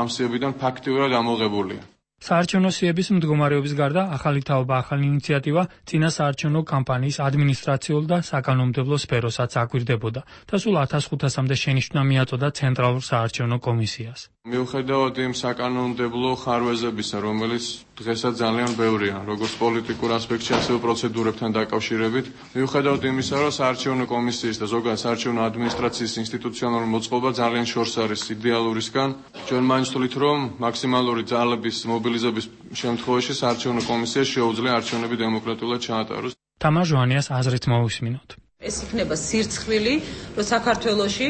ამ სიებიდან ფაქტიურად ამოღებულია. საარჩევნო სიების მდგომარეობის გარდა ახალი თაობა, ახალი ინიციატივა წინა საარჩევნო კამპანიის ადმინისტრაციულ და საკანონმდებლო სფეროსაც აკვირდებოდა და სულ ათას ხუთასამდე შენიშვნა მიაწოდა ცენტრალურ საარჩევნო კომისიას. მიუხედავად იმ საკანონმდებლო ხარვეზებისა, რომელიც დღესაც ძალიან ბევრია, როგორც პოლიტიკურ ასპექტში, ასევე პროცედურებთან დაკავშირებით, მიუხედავად იმისა, რომ საარჩევნო კომისიის და ზოგადად საარჩევნო ადმინისტრაციის ინსტიტუციონალური მოწყობა ძალიან შორს არის იდეალურისგან, ჩვენ მაინც ვთვლით, რომ მაქსიმალური ძალების მობილიზების შემთხვევაში საარჩევნო კომისიას შეუძლია არჩევნები დემოკრატიულად ჩაატაროს. თამარ ჟვანიას აზრით მოვისმინოთ. ეს იქნება სირცხლილი, რომ საქართველოში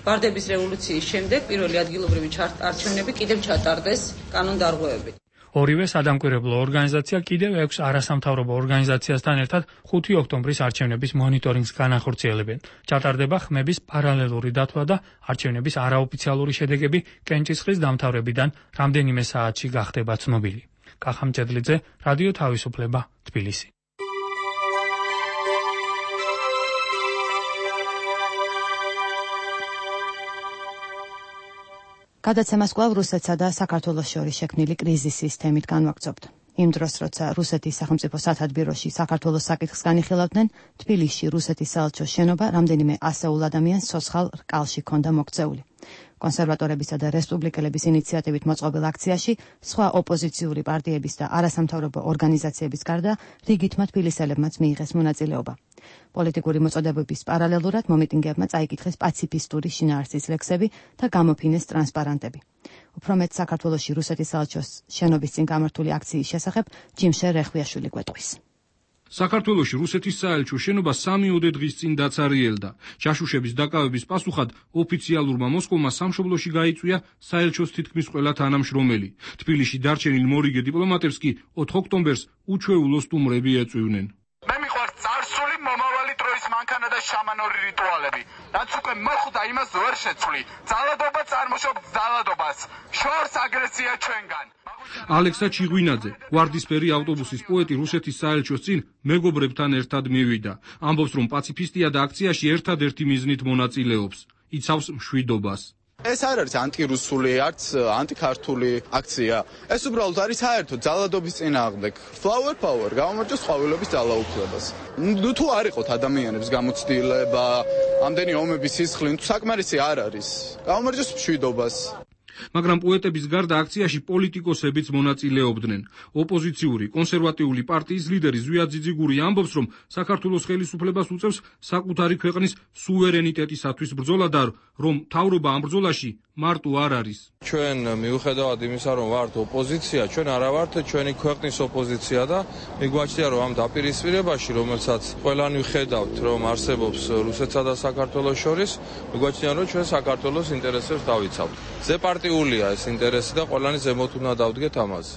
ვარდების რევოლუციის შემდეგ პირველი ადგილობრივი არჩევნები კიდევ ჩატარდეს კანონდარღვევებით. ორივე სადამკვირვებლო ორგანიზაცია კიდევ ექვს არასამთავრობო ორგანიზაციასთან ერთად ხუთი ოქტომბრის არჩევნების მონიტორინგს განახორციელებენ. ჩატარდება ხმების პარალელური დათვლა და არჩევნების არაოფიციალური შედეგები კენჭისყრის დამთავრებიდან რამდენიმე საათში გახდება ცნობილი. კახა მჭედლიძე, რადიო თავისუფლება, თბილისი. გადაცემას კვლავ რუსეთსა და საქართველოს შორის შექმნილი კრიზისის თემით განვაგრძობთ. იმ დროს, როცა რუსეთის სახელმწიფო სათადბიროში საქართველოს საკითხს განიხილავდნენ, თბილისში რუსეთის საელჩოს შენობა რამდენიმე ასეულ ადამიანს ცოცხალ რკალში ჰქონდა მოქცეული. კონსერვატორებისა და რესპუბლიკელების ინიციატივით მოწყობილ აქციაში სხვა ოპოზიციური პარტიების და არასამთავრობო ორგანიზაციების გარდა რიგითმა თბილისელებმაც მიიღეს მონაწილეობა. პოლიტიკური მოწოდებების პარალელურად მომიტინგეებმა წაიკითხეს პაციფისტური შინაარსის ლექსები და გამოფინეს ტრანსპარანტები. უფრო მეტ საქართველოში რუსეთის საელჩოს შენობის წინ გამართული აქციის შესახებ ჯიმშერ რეხვიაშვილი გვეტყვის. საქართველოში რუსეთის საელჩო შენობა სამიოდე დღის წინ დაცარიელდა. ჩაშუშების დაკავების პასუხად ოფიციალურმა მოსკოვმა სამშობლოში გაიწვია საელჩოს თითქმის ყველა თანამშრომელი. თბილისში დარჩენილ მორიგე დიპლომატებს კი ოთხ ოქტომბერს უჩვეულო სტუმრები ეწვივნენ. მე მიყვარს წარსული მომავალი დროის მანქანა და შამანური რიტუალები. რაც უკვე მოხვდა, იმას ვერ შეცვლი. ძალადობა წარმოშობს ძალადობას. შორს აგრესია ჩვენგან. ალექსა ჩიღვინაძე, ვარდისფერი ავტობუსის პოეტი რუსეთის საელჩოს წინ მეგობრებთან ერთად მივიდა. ამბობს, რომ პაციფისტია და აქციაში ერთადერთი მიზნით მონაწილეობს. იცავს მშვიდობას. ეს არ არის ანტირუსული, არც ანტიქართული აქცია. ეს უბრალოდ არის საერთოდ ძალადობის წინააღმდეგ. Flower power, გამომარჯოს ყვავილების ძალაუფლებას. ნუ თუ არ იყოთ ადამიანებს გამოცდილება, ამდენი ომების სისხლი, თუ საკმარისი არ არის. გამომარჯოს მშვიდობას. მაგრამ პოეტების გარდა აქციაში პოლიტიკოსებიც მონაწილეობდნენ. ოპოზიციური კონსერვატიული პარტიის ლიდერი ზვია ძიძიგური ამბობს, რომ საქართველოს ხელისუფლებას უწევს საკუთარი ქვეყნის სუვერენიტეტისათვის ბრძოლა და რომ მთავრობა ამ ბრძოლაში მარტო არ არის. ჩვენ მიუხედავად იმისა, რომ ვართ ოპოზიცია, ჩვენ არა ვართ ჩვენი ქვეყნის ოპოზიცია და მიგვაჩნია, რომ ამ დაპირისპირებაში, რომელსაც ყველანი ვხედავთ, რომ არსებობს რუსეთსა და საქართველოს შორის, მიგვაჩნია, რომ ჩვენ საქართველოს ინტერესებს დავიცავთ. ზეპარტიულია ეს ინტერესი და ყველანი ზემოთ უნდა დავდგეთ ამაზე.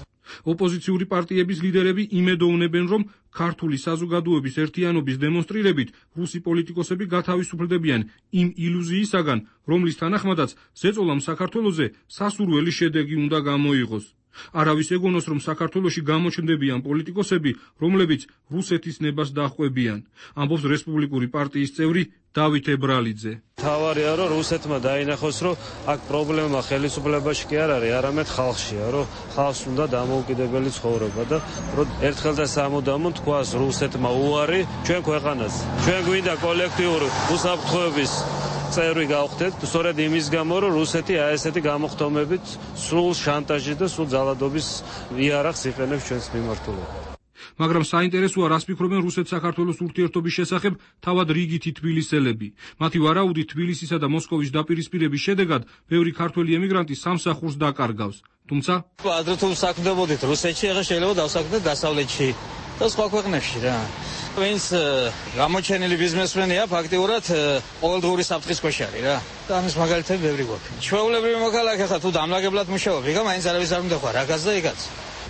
ოპოზიციური პარტიების ლიდერები იმედოვნებენ, რომ ქართული საზოგადოების ერთიანობის დემონსტრირებით რუსი პოლიტიკოსები გათავისუფლდებიან იმ ილუზიისაგან, რომლის თანახმადაც ზეწოლამ საქართველოზე სასურველი შედეგი უნდა გამოიღოს. არავის ეგონოს, რომ საქართველოში გამოჩნდებიან პოლიტიკოსები, რომლებიც რუსეთის ნებას დაჰყვებიან, ამბობს რესპუბლიკური პარტიის წევრი დავით ებრალიძე. თავარია, რომ რუსეთმა დაინახოს, რომ აქ პრობლემა ხელისუფლებაში კი არ არის, არამედ ხალხშია, რომ ხალხს უნდა დამოუკიდებელი ცხოვრება და რომ ერთხელ და სამუდამოდ თქვას რუსეთმა უარი ჩვენ ქვეყანას. ჩვენ გვინდა კოლექტიური უსაფრთხოების წევრი გავხდეთ, სწორედ იმის გამო, რომ რუსეთი აი ესეთი გამოხდომებით სრულ შანტაჟი და სრულ ძალადობის იარაღს იყენებს ჩვენს მიმართულებით. მაგრამ საინტერესოა, რას ფიქრობენ რუსეთ-საქართველოს ურთიერთობის შესახებ თავად რიგითი თბილისელები. მათი ვარაუდით თბილისისა და მოსკოვის დაპირისპირების შედეგად ბევრი ქართველი ემიგრანტი სამსახურს დაკარგავს. თუმცა ადრე თუ საქმდებოდით რუსეთში, ახლა შეიძლება დავსაქმდეთ დასავლეთში და სხვა ქვეყნებში რა. ვინც გამოჩენილი ბიზნესმენია, ფაქტიურად ყოველდღიური საფრთხის ქვეშ არის რა. და ამის მაგალითები ბევრი გვაქვს. ჩვეულებრივი მოქალაქე ხარ, თუ დამლაგებლად მუშაობ, იგა მაინც არავის არ უნდა ხარ, რაგაც და იგაც.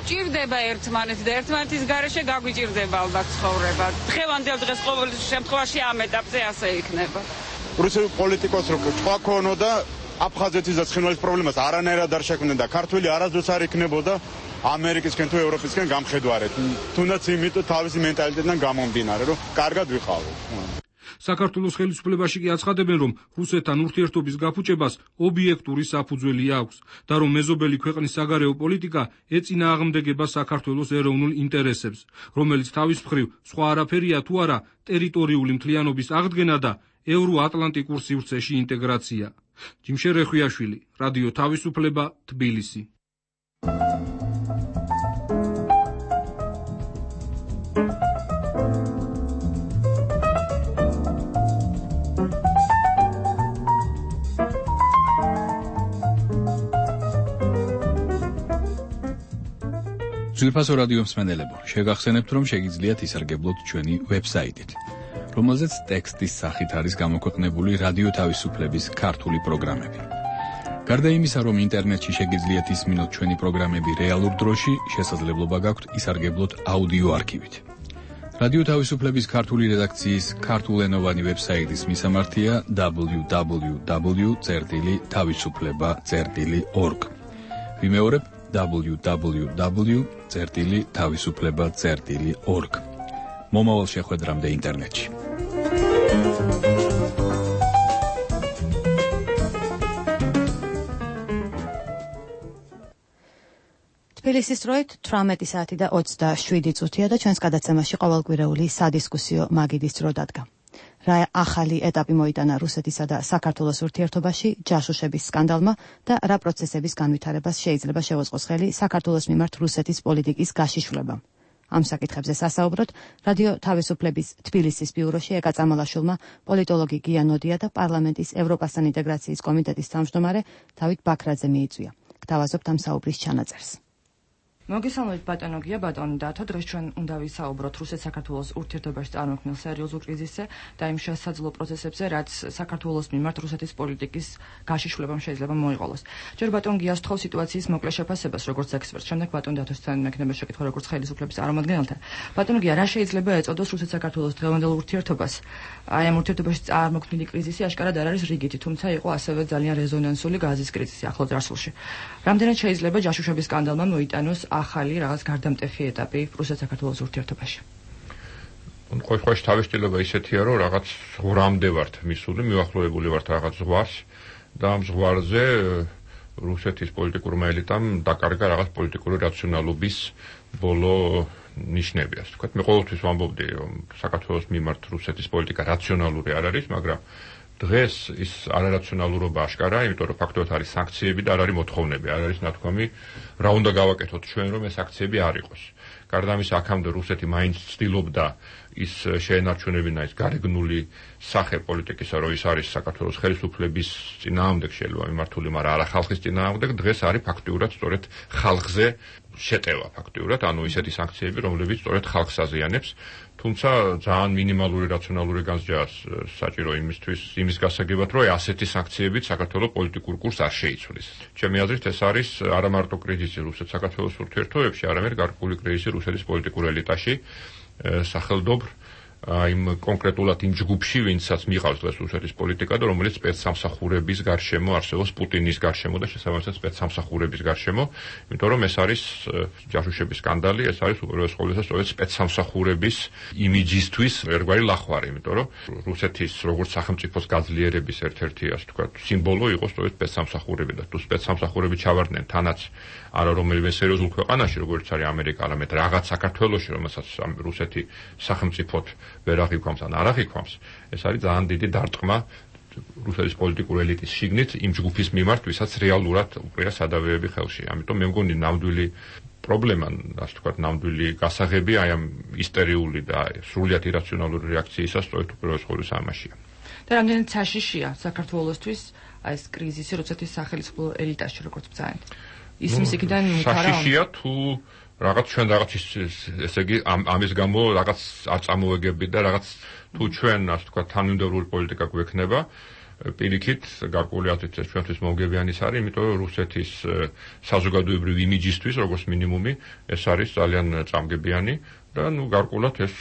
ჭირდება ერთმანეთი და ერთმანეთის გარეშე გაგვიჭირდება ალბათ ცხოვრება. დღევანდელ დღეს ყოველ შემთხვევაში ამ ეტაპზე ასე იქნება. რუსული პოლიტიკოს რო თქვა ქონო და აფხაზეთის და ცხინვალის პრობლემას არანაირად არ შექმნიდა. ქართველი არასდროს არ იქნებოდა ამერიკისკენ თუ ევროპისკენ გამხედვარეთ. თუნდაც იმიტომ თავისი მენტალიტეტიდან გამომდინარე, რომ კარგად ვიყავით. საქართველოს ხელისუფლებაში კი აცხადებენ, რომ რუსეთთან ურთიერთობის გაფუჭებას ობიექტური საფუძველი აქვს და რომ მეზობელი ქვეყნის საგარეო პოლიტიკა ეწინააღმდეგება საქართველოს ეროვნულ ინტერესებს, რომელიც თავის მხრივ სხვა არაფერია თუ არა ტერიტორიული მთლიანობის აღდგენა და ევროატლანტიკურ სივრცეში ინტეგრაცია. ჯიმშე რეხვიაშვილი, რადიო თავისუფლება, თბილისი. ძვირფასო რადიო მსმენელებო, შეგახსენებთ, რომ შეგიძლიათ ისარგებლოთ ჩვენი ვებსაიტით, რომელზეც ტექსტის სახით არის გამოქვეყნებული რადიო თავისუფლების ქართული პროგრამები. გარდა იმისა, რომ ინტერნეტში შეგიძლიათ ისმინოთ ჩვენი პროგრამები რეალურ დროში, შესაძლებლობა გაქვთ ისარგებლოთ აუდიო არქივით. რადიო თავისუფლების ქართული რედაქციის ქართულენოვანი ვებსაიტის მისამართია დაბლიუ დაბლიუ დაბლიუ წერტილი თავისუფლება წერტილი ორგ. ვიმეორებ დაბლიუ დაბლიუ დაბლიუ წერტილი თავისუფლება წერტილი ორგ. მომავალ შეხვედრამდე ინტერნეტში. თბილისის დროით თვრამეტი საათი და ოცდაშვიდი წუთია და ჩვენს გადაცემაში ყოველკვირეული სადისკუსიო მაგიდის დრო დადგა. რა ახალი ეტაპი მოიტანა რუსეთისა და საქართველოს ურთიერთობაში ჯაშუშების სკანდალმა და რა პროცესების განვითარებას შეიძლება შევუწყოს ხელი საქართველოს მიმართ რუსეთის პოლიტიკის გაშიშვლება. ამ საკითხებზე სასაუბროთ რადიო თავისუფლების თბილისის ბიუროში ეკა წამალაშვილმა, პოლიტოლოგი გია ნოდია და პარლამენტის ევროპასთან ინტეგრაციის კომიტეტის თავმჯდომარე დავით ბაქრაძე მიიწვია. გთავაზობთ ამ საუბრის ჩანაწერს. მოგესალმებით ბატონო გია, ბატონო დათო, დღეს ჩვენ უნდა ვისაუბროთ რუსეთ-საქართველოს ურთიერთობაში წარმოქმნილ სერიოზულ კრიზისზე და იმ შესაძლო პროცესებზე, რაც საქართველოს მიმართ რუსეთის პოლიტიკის გაშიშვლებამ შეიძლება მოიყოლოს. ჯერ ბატონ გიას თხოვ სიტუაციის მოკლე შეფასებას, როგორც ექსპერტს, შემდეგ ბატონ დათოსთან მექნება შეკითხვა, როგორც ხელისუფლების წარმომადგენელთან. ბატონო გია, რა შეიძლება ეწოდოს რუსეთ-საქართველოს დღევანდელ ურთიერთობას? აი ამ ურთიერთობაში წარმოქმნილი კრიზისი აშკარად არ არის რიგითი, თუმცა იყო ასევე ძალიან რეზონანსული გაზის კრიზისი ახლო წარსულში. რამდენად შეიძლება ჯაშუშების სკანდალმა მოიტანოს ახალი რაღაც გარდამტეხი ეტაპი რუსეთ-საქართველოს ურთიერთობაში? ყოველ შემთხვევაში თავისუფლება ისეთია, რომ რაღაც ზღვრამდე ვართ მისული, მივახლოვებული ვართ რაღაც ზღვარს და ამ ზღვარზე რუსეთის პოლიტიკურმა ელიტამ დაკარგა რაღაც პოლიტიკური რაციონალობის ბოლო ნიშნები, ასე ვთქვათ. მე ყოველთვის ვამბობდი, რომ საქართველოს მიმართ რუსეთის პოლიტიკა რაციონალური არ არის, მაგრამ დღეს ის არარაციონალურობა აშკარაა, იმიტომ რომ ფაქტობრივად არის სანქციები და არ არის მოთხოვნები, არ არის ნათქვამი, რა უნდა გავაკეთოთ ჩვენ, რომ ეს სანქციები არ იყოს. გარდა ამისა, აქამდე რუსეთი მაინც ცდილობდა ის შეენარჩუნებინა ის გარეგნული სახე პოლიტიკისა, რომ ის არის საქართველოს ხელისუფლების წინააღმდეგ შეიძლება მიმართული, მაგრამ არა ხალხის წინააღმდეგ. დღეს არის ფაქტიურად სწორედ ხალხზე შეტევა ფაქტიურად, ანუ ისეთი სანქციები, რომლებიც სწორედ ხალხს აზიანებს. თუმცა ძალიან მინიმალური რაციონალური განსჯა საჭირო იმისთვის, იმის გასაგებად, რომ ასეთი სანქციებით საქართველოს პოლიტიკურ კურსს არ შეიცვლის. ჩემი აზრით, ეს არის არა მარტო კრიზისი რუსეთ-საქართველოს ურთიერთობებში, არამედ გარკვეული კრიზისი რუსეთის პოლიტიკურ ელიტაში, სახელდობრ იმ კონკრეტულად იმ ჯგუფში, ვინცაც მიყავს დღეს რუსეთის პოლიტიკა და რომელიც სპეცსამსახურების გარშემო არსებობს, პუტინის გარშემო და შესაბამისად სპეცსამსახურების გარშემო, იმიტომ რომ ეს არის ჯაშუშების სკანდალი, ეს არის უპირველეს ყოვლისა სწორედ სპეცსამსახურების იმიჯისთვის ერთგვარი ლახვარი, იმიტომ რომ რუსეთის როგორც სახელმწიფოს გაძლიერების ერთ-ერთი ასე ვთქვათ სიმბოლო იყო სწორედ სპეცსამსახურები და თუ სპეცსამსახურები ჩავარდნენ თანაც არა რომელიმე სერიოზულ ქვეყანაში, როგორც არის ამერიკა, არამედ რაღაც საქართველოში, რომელსაც რუსეთი სახელმწიფოდ ვერ აღიქვამს ან არ აღიქვამს, ეს არის ძალიან დიდი დარტყმა რუსეთის პოლიტიკური ელიტის შიგნით იმ ჯგუფის მიმართ, ვისაც რეალურად უყრია სადავეები ხელში. ამიტომ მე მგონი ნამდვილი პრობლემა, ასე ვთქვათ, ნამდვილი გასაღები აი ამ ისტერიული და სრულიად ირაციონალური რეაქციისა სწორედ უპირველეს ყოვლისა ამაშია. და რამდენად საშიშია საქართველოსთვის აი ეს კრიზისი რუსეთის სახელმწიფო ელიტაში როგორც ბრძანეთ. ისმის იქიდან მითარა საშიშია თუ რაღაც ჩვენ რაღაც ესე იგი ამის გამო რაღაც არ წამოვეგებით და რაღაც თუ ჩვენ ასე ვთქვათ თანმიმდევრული პოლიტიკა გვექნება პირიქით გარკვეული აზრით ეს ჩვენთვის მომგებიანი ის არის, იმიტომ რომ რუსეთის საზოგადოებრივი იმიჯისთვის როგორც მინიმუმი ეს არის ძალიან წამგებიანი და ნუ გარკვეულად ეს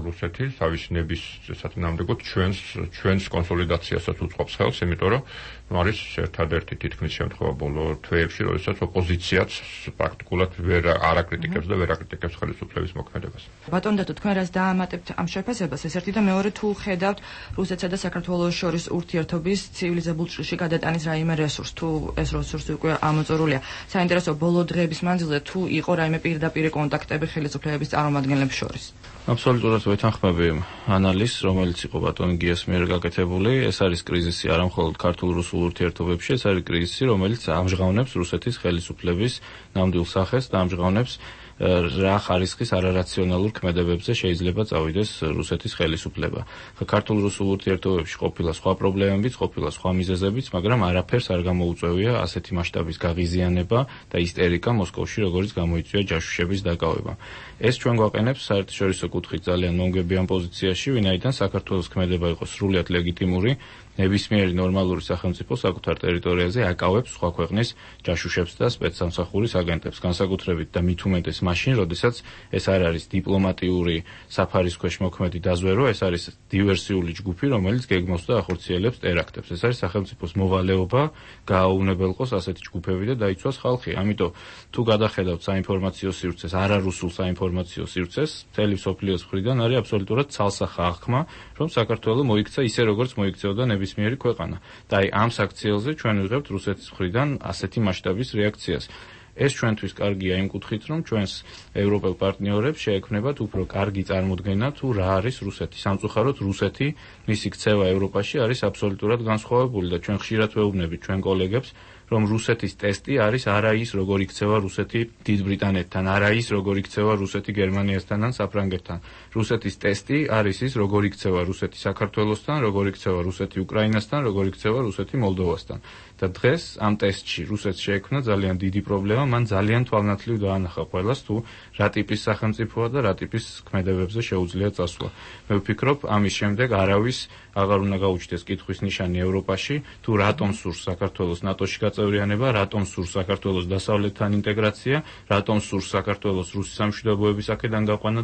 რუსეთი თავის ნების საწინააღმდეგოდ ჩვენს ჩვენს კონსოლიდაციასაც უწყობს ხელს, იმიტომ რომ ნუ არის ერთადერთი თითქმის შემთხვევა ბოლო თვეებში, როდესაც ოპოზიციაც პრაქტიკულად ვერ არ აკრიტიკებს და ვერ აკრიტიკებს ხელისუფლების მოქმედებას. ბატონო და თქვენ რას დაამატებთ ამ შეფასებას? ეს ერთი და მეორე თუ ხედავთ რუსეთსა და საქართველოს შორის ურთიერთობის ცივილიზებულ ჭრილში გადატანის რაიმე რესურს, თუ ეს რესურსი უკვე ამოწურულია. საინტერესო ბოლო დღეების მანძილზე თუ იყო რაიმე პირდაპირ კონტაქტები ხელისუფლების წარმომადგენლებს შორის. აბსოლუტურად ვეთანხმები ანალიზს, რომელიც იყო ბატონ გიას მიერ გაკეთებული. ეს არის კრიზისი არა მხოლოდ ქართულ-რუსულ ურთიერთობებში, ეს არის კრიზისი, რომელიც ამჟღავნებს რუსეთის ხელისუფლების ნამდვილ სახეს და ამჟღავნებს რა ხარისხის არარაციონალურ ქმედებებზე შეიძლება წავიდეს რუსეთის ხელისუფლება. ქართულ-რუსულ ურთიერთობებში ყოფილა სხვა პრობლემებიც, ყოფილა სხვა მიზეზებიც, მაგრამ არაფერს არ გამოუწევია ასეთი მასშტაბის გაღიზიანება და ისტერიკა მოსკოვში, როგორც გამოიწვია ჯაშუშების დაკავება. ეს ჩვენ გვაყენებს საერთაშორისო კუთხით ძალიან მომგებიან პოზიციაში, ვინაიდან საქართველოს ქმედება იყო სრულიად ლეგიტიმური, ნებისმიერი ნორმალური სახელმწიფო საკუთარ ტერიტორიაზე აკავებს სხვა ქვეყნის ჯაშუშებს და სპეცსამსახურის აგენტებს, განსაკუთრებით და მით უმეტეს მაშინ, როდესაც ეს არ არის დიპლომატიური საფარის ქვეშ მოქმედი დაზვერო, ეს არის დივერსიული ჯგუფი, რომელიც გეგმავს და ახორციელებს ტერაქტებს. ეს არის სახელმწიფოს მოვალეობა გააუნებელყოს ასეთი ჯგუფები და დაიცვას ხალხი. ამიტომ თუ გადახედავთ საინფორმაციო სივრცეს, არარუსულ საინფორმაციო სივრცეს, მთელი მსოფლიოს მხრიდან არის აბსოლუტურად ცალსახა აღქმა, რომ საქართველო მოიქცა ისე როგორც მოიქცეოდა ნებისმიერი ქვეყანა. და აი ამ საქციელზე ჩვენ ვიღებთ რუსეთის მხრიდან ასეთი მასშტაბის რეაქციას. ეს ჩვენთვის კარგია იმ კუთხით, რომ ჩვენს ევროპელ პარტნიორებს შეექმნებათ უფრო კარგი წარმოდგენა თუ რა არის რუსეთი. სამწუხაროდ რუსეთი, მისი ქცევა ევროპაში არის აბსოლუტურად განსხვავებული და ჩვენ ხშირად ვეუბნებით ჩვენ კოლეგებს, რომ რუსეთის ტესტი არის არა ის, როგორ იქცევა რუსეთი დიდ ბრიტანეთთან, არა ის, როგორ იქცევა რუსეთი გერმანიასთან ან საფრანგეთთან. რუსეთის ტესტი არის ის, როგორ იქცევა რუსეთი საქართველოსთან, როგორ იქცევა რუსეთი უკრაინასთან, როგორ იქცევა რუსეთი მოლდოვასთან. და დღეს ამ ტესტში რუსეთს შეექმნა ძალიან დიდი პრობლემა, მან ძალიან თვალნათლივ დაანახა ყველას, თუ რა ტიპის სახელმწიფოა და რა ტიპის ქმედებებზე შეუძლია წასვლა. მე ვფიქრობ, ამის შემდეგ არავის აღარ უნდა გაუჩნდეს კითხვის ნიშანი ევროპაში, თუ რატომ სურს საქართველოს ნატოში გაწევრიანება, რატომ სურს საქართველოს დასავლეთთან ინტეგრაცია, რატომ სურს საქართველოს რუსი სამშვიდობოების აქედან გაყვანა.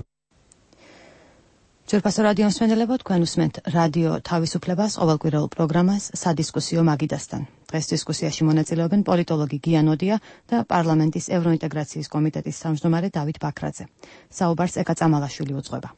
ჯერფასო რადიო მსმენელებო, თქვენ უსმენთ რადიო თავისუფლებას ყოველკვირეულ პროგრამას სადისკუსიო მაგიდასთან. დღეს დისკუსიაში მონაწილეობენ პოლიტოლოგი გია ნოდია და პარლამენტის ევროინტეგრაციის კომიტეტის თავმჯდომარე დავით ბაქრაძე. საუბარს ეკა წამალაშვილი უძღვება.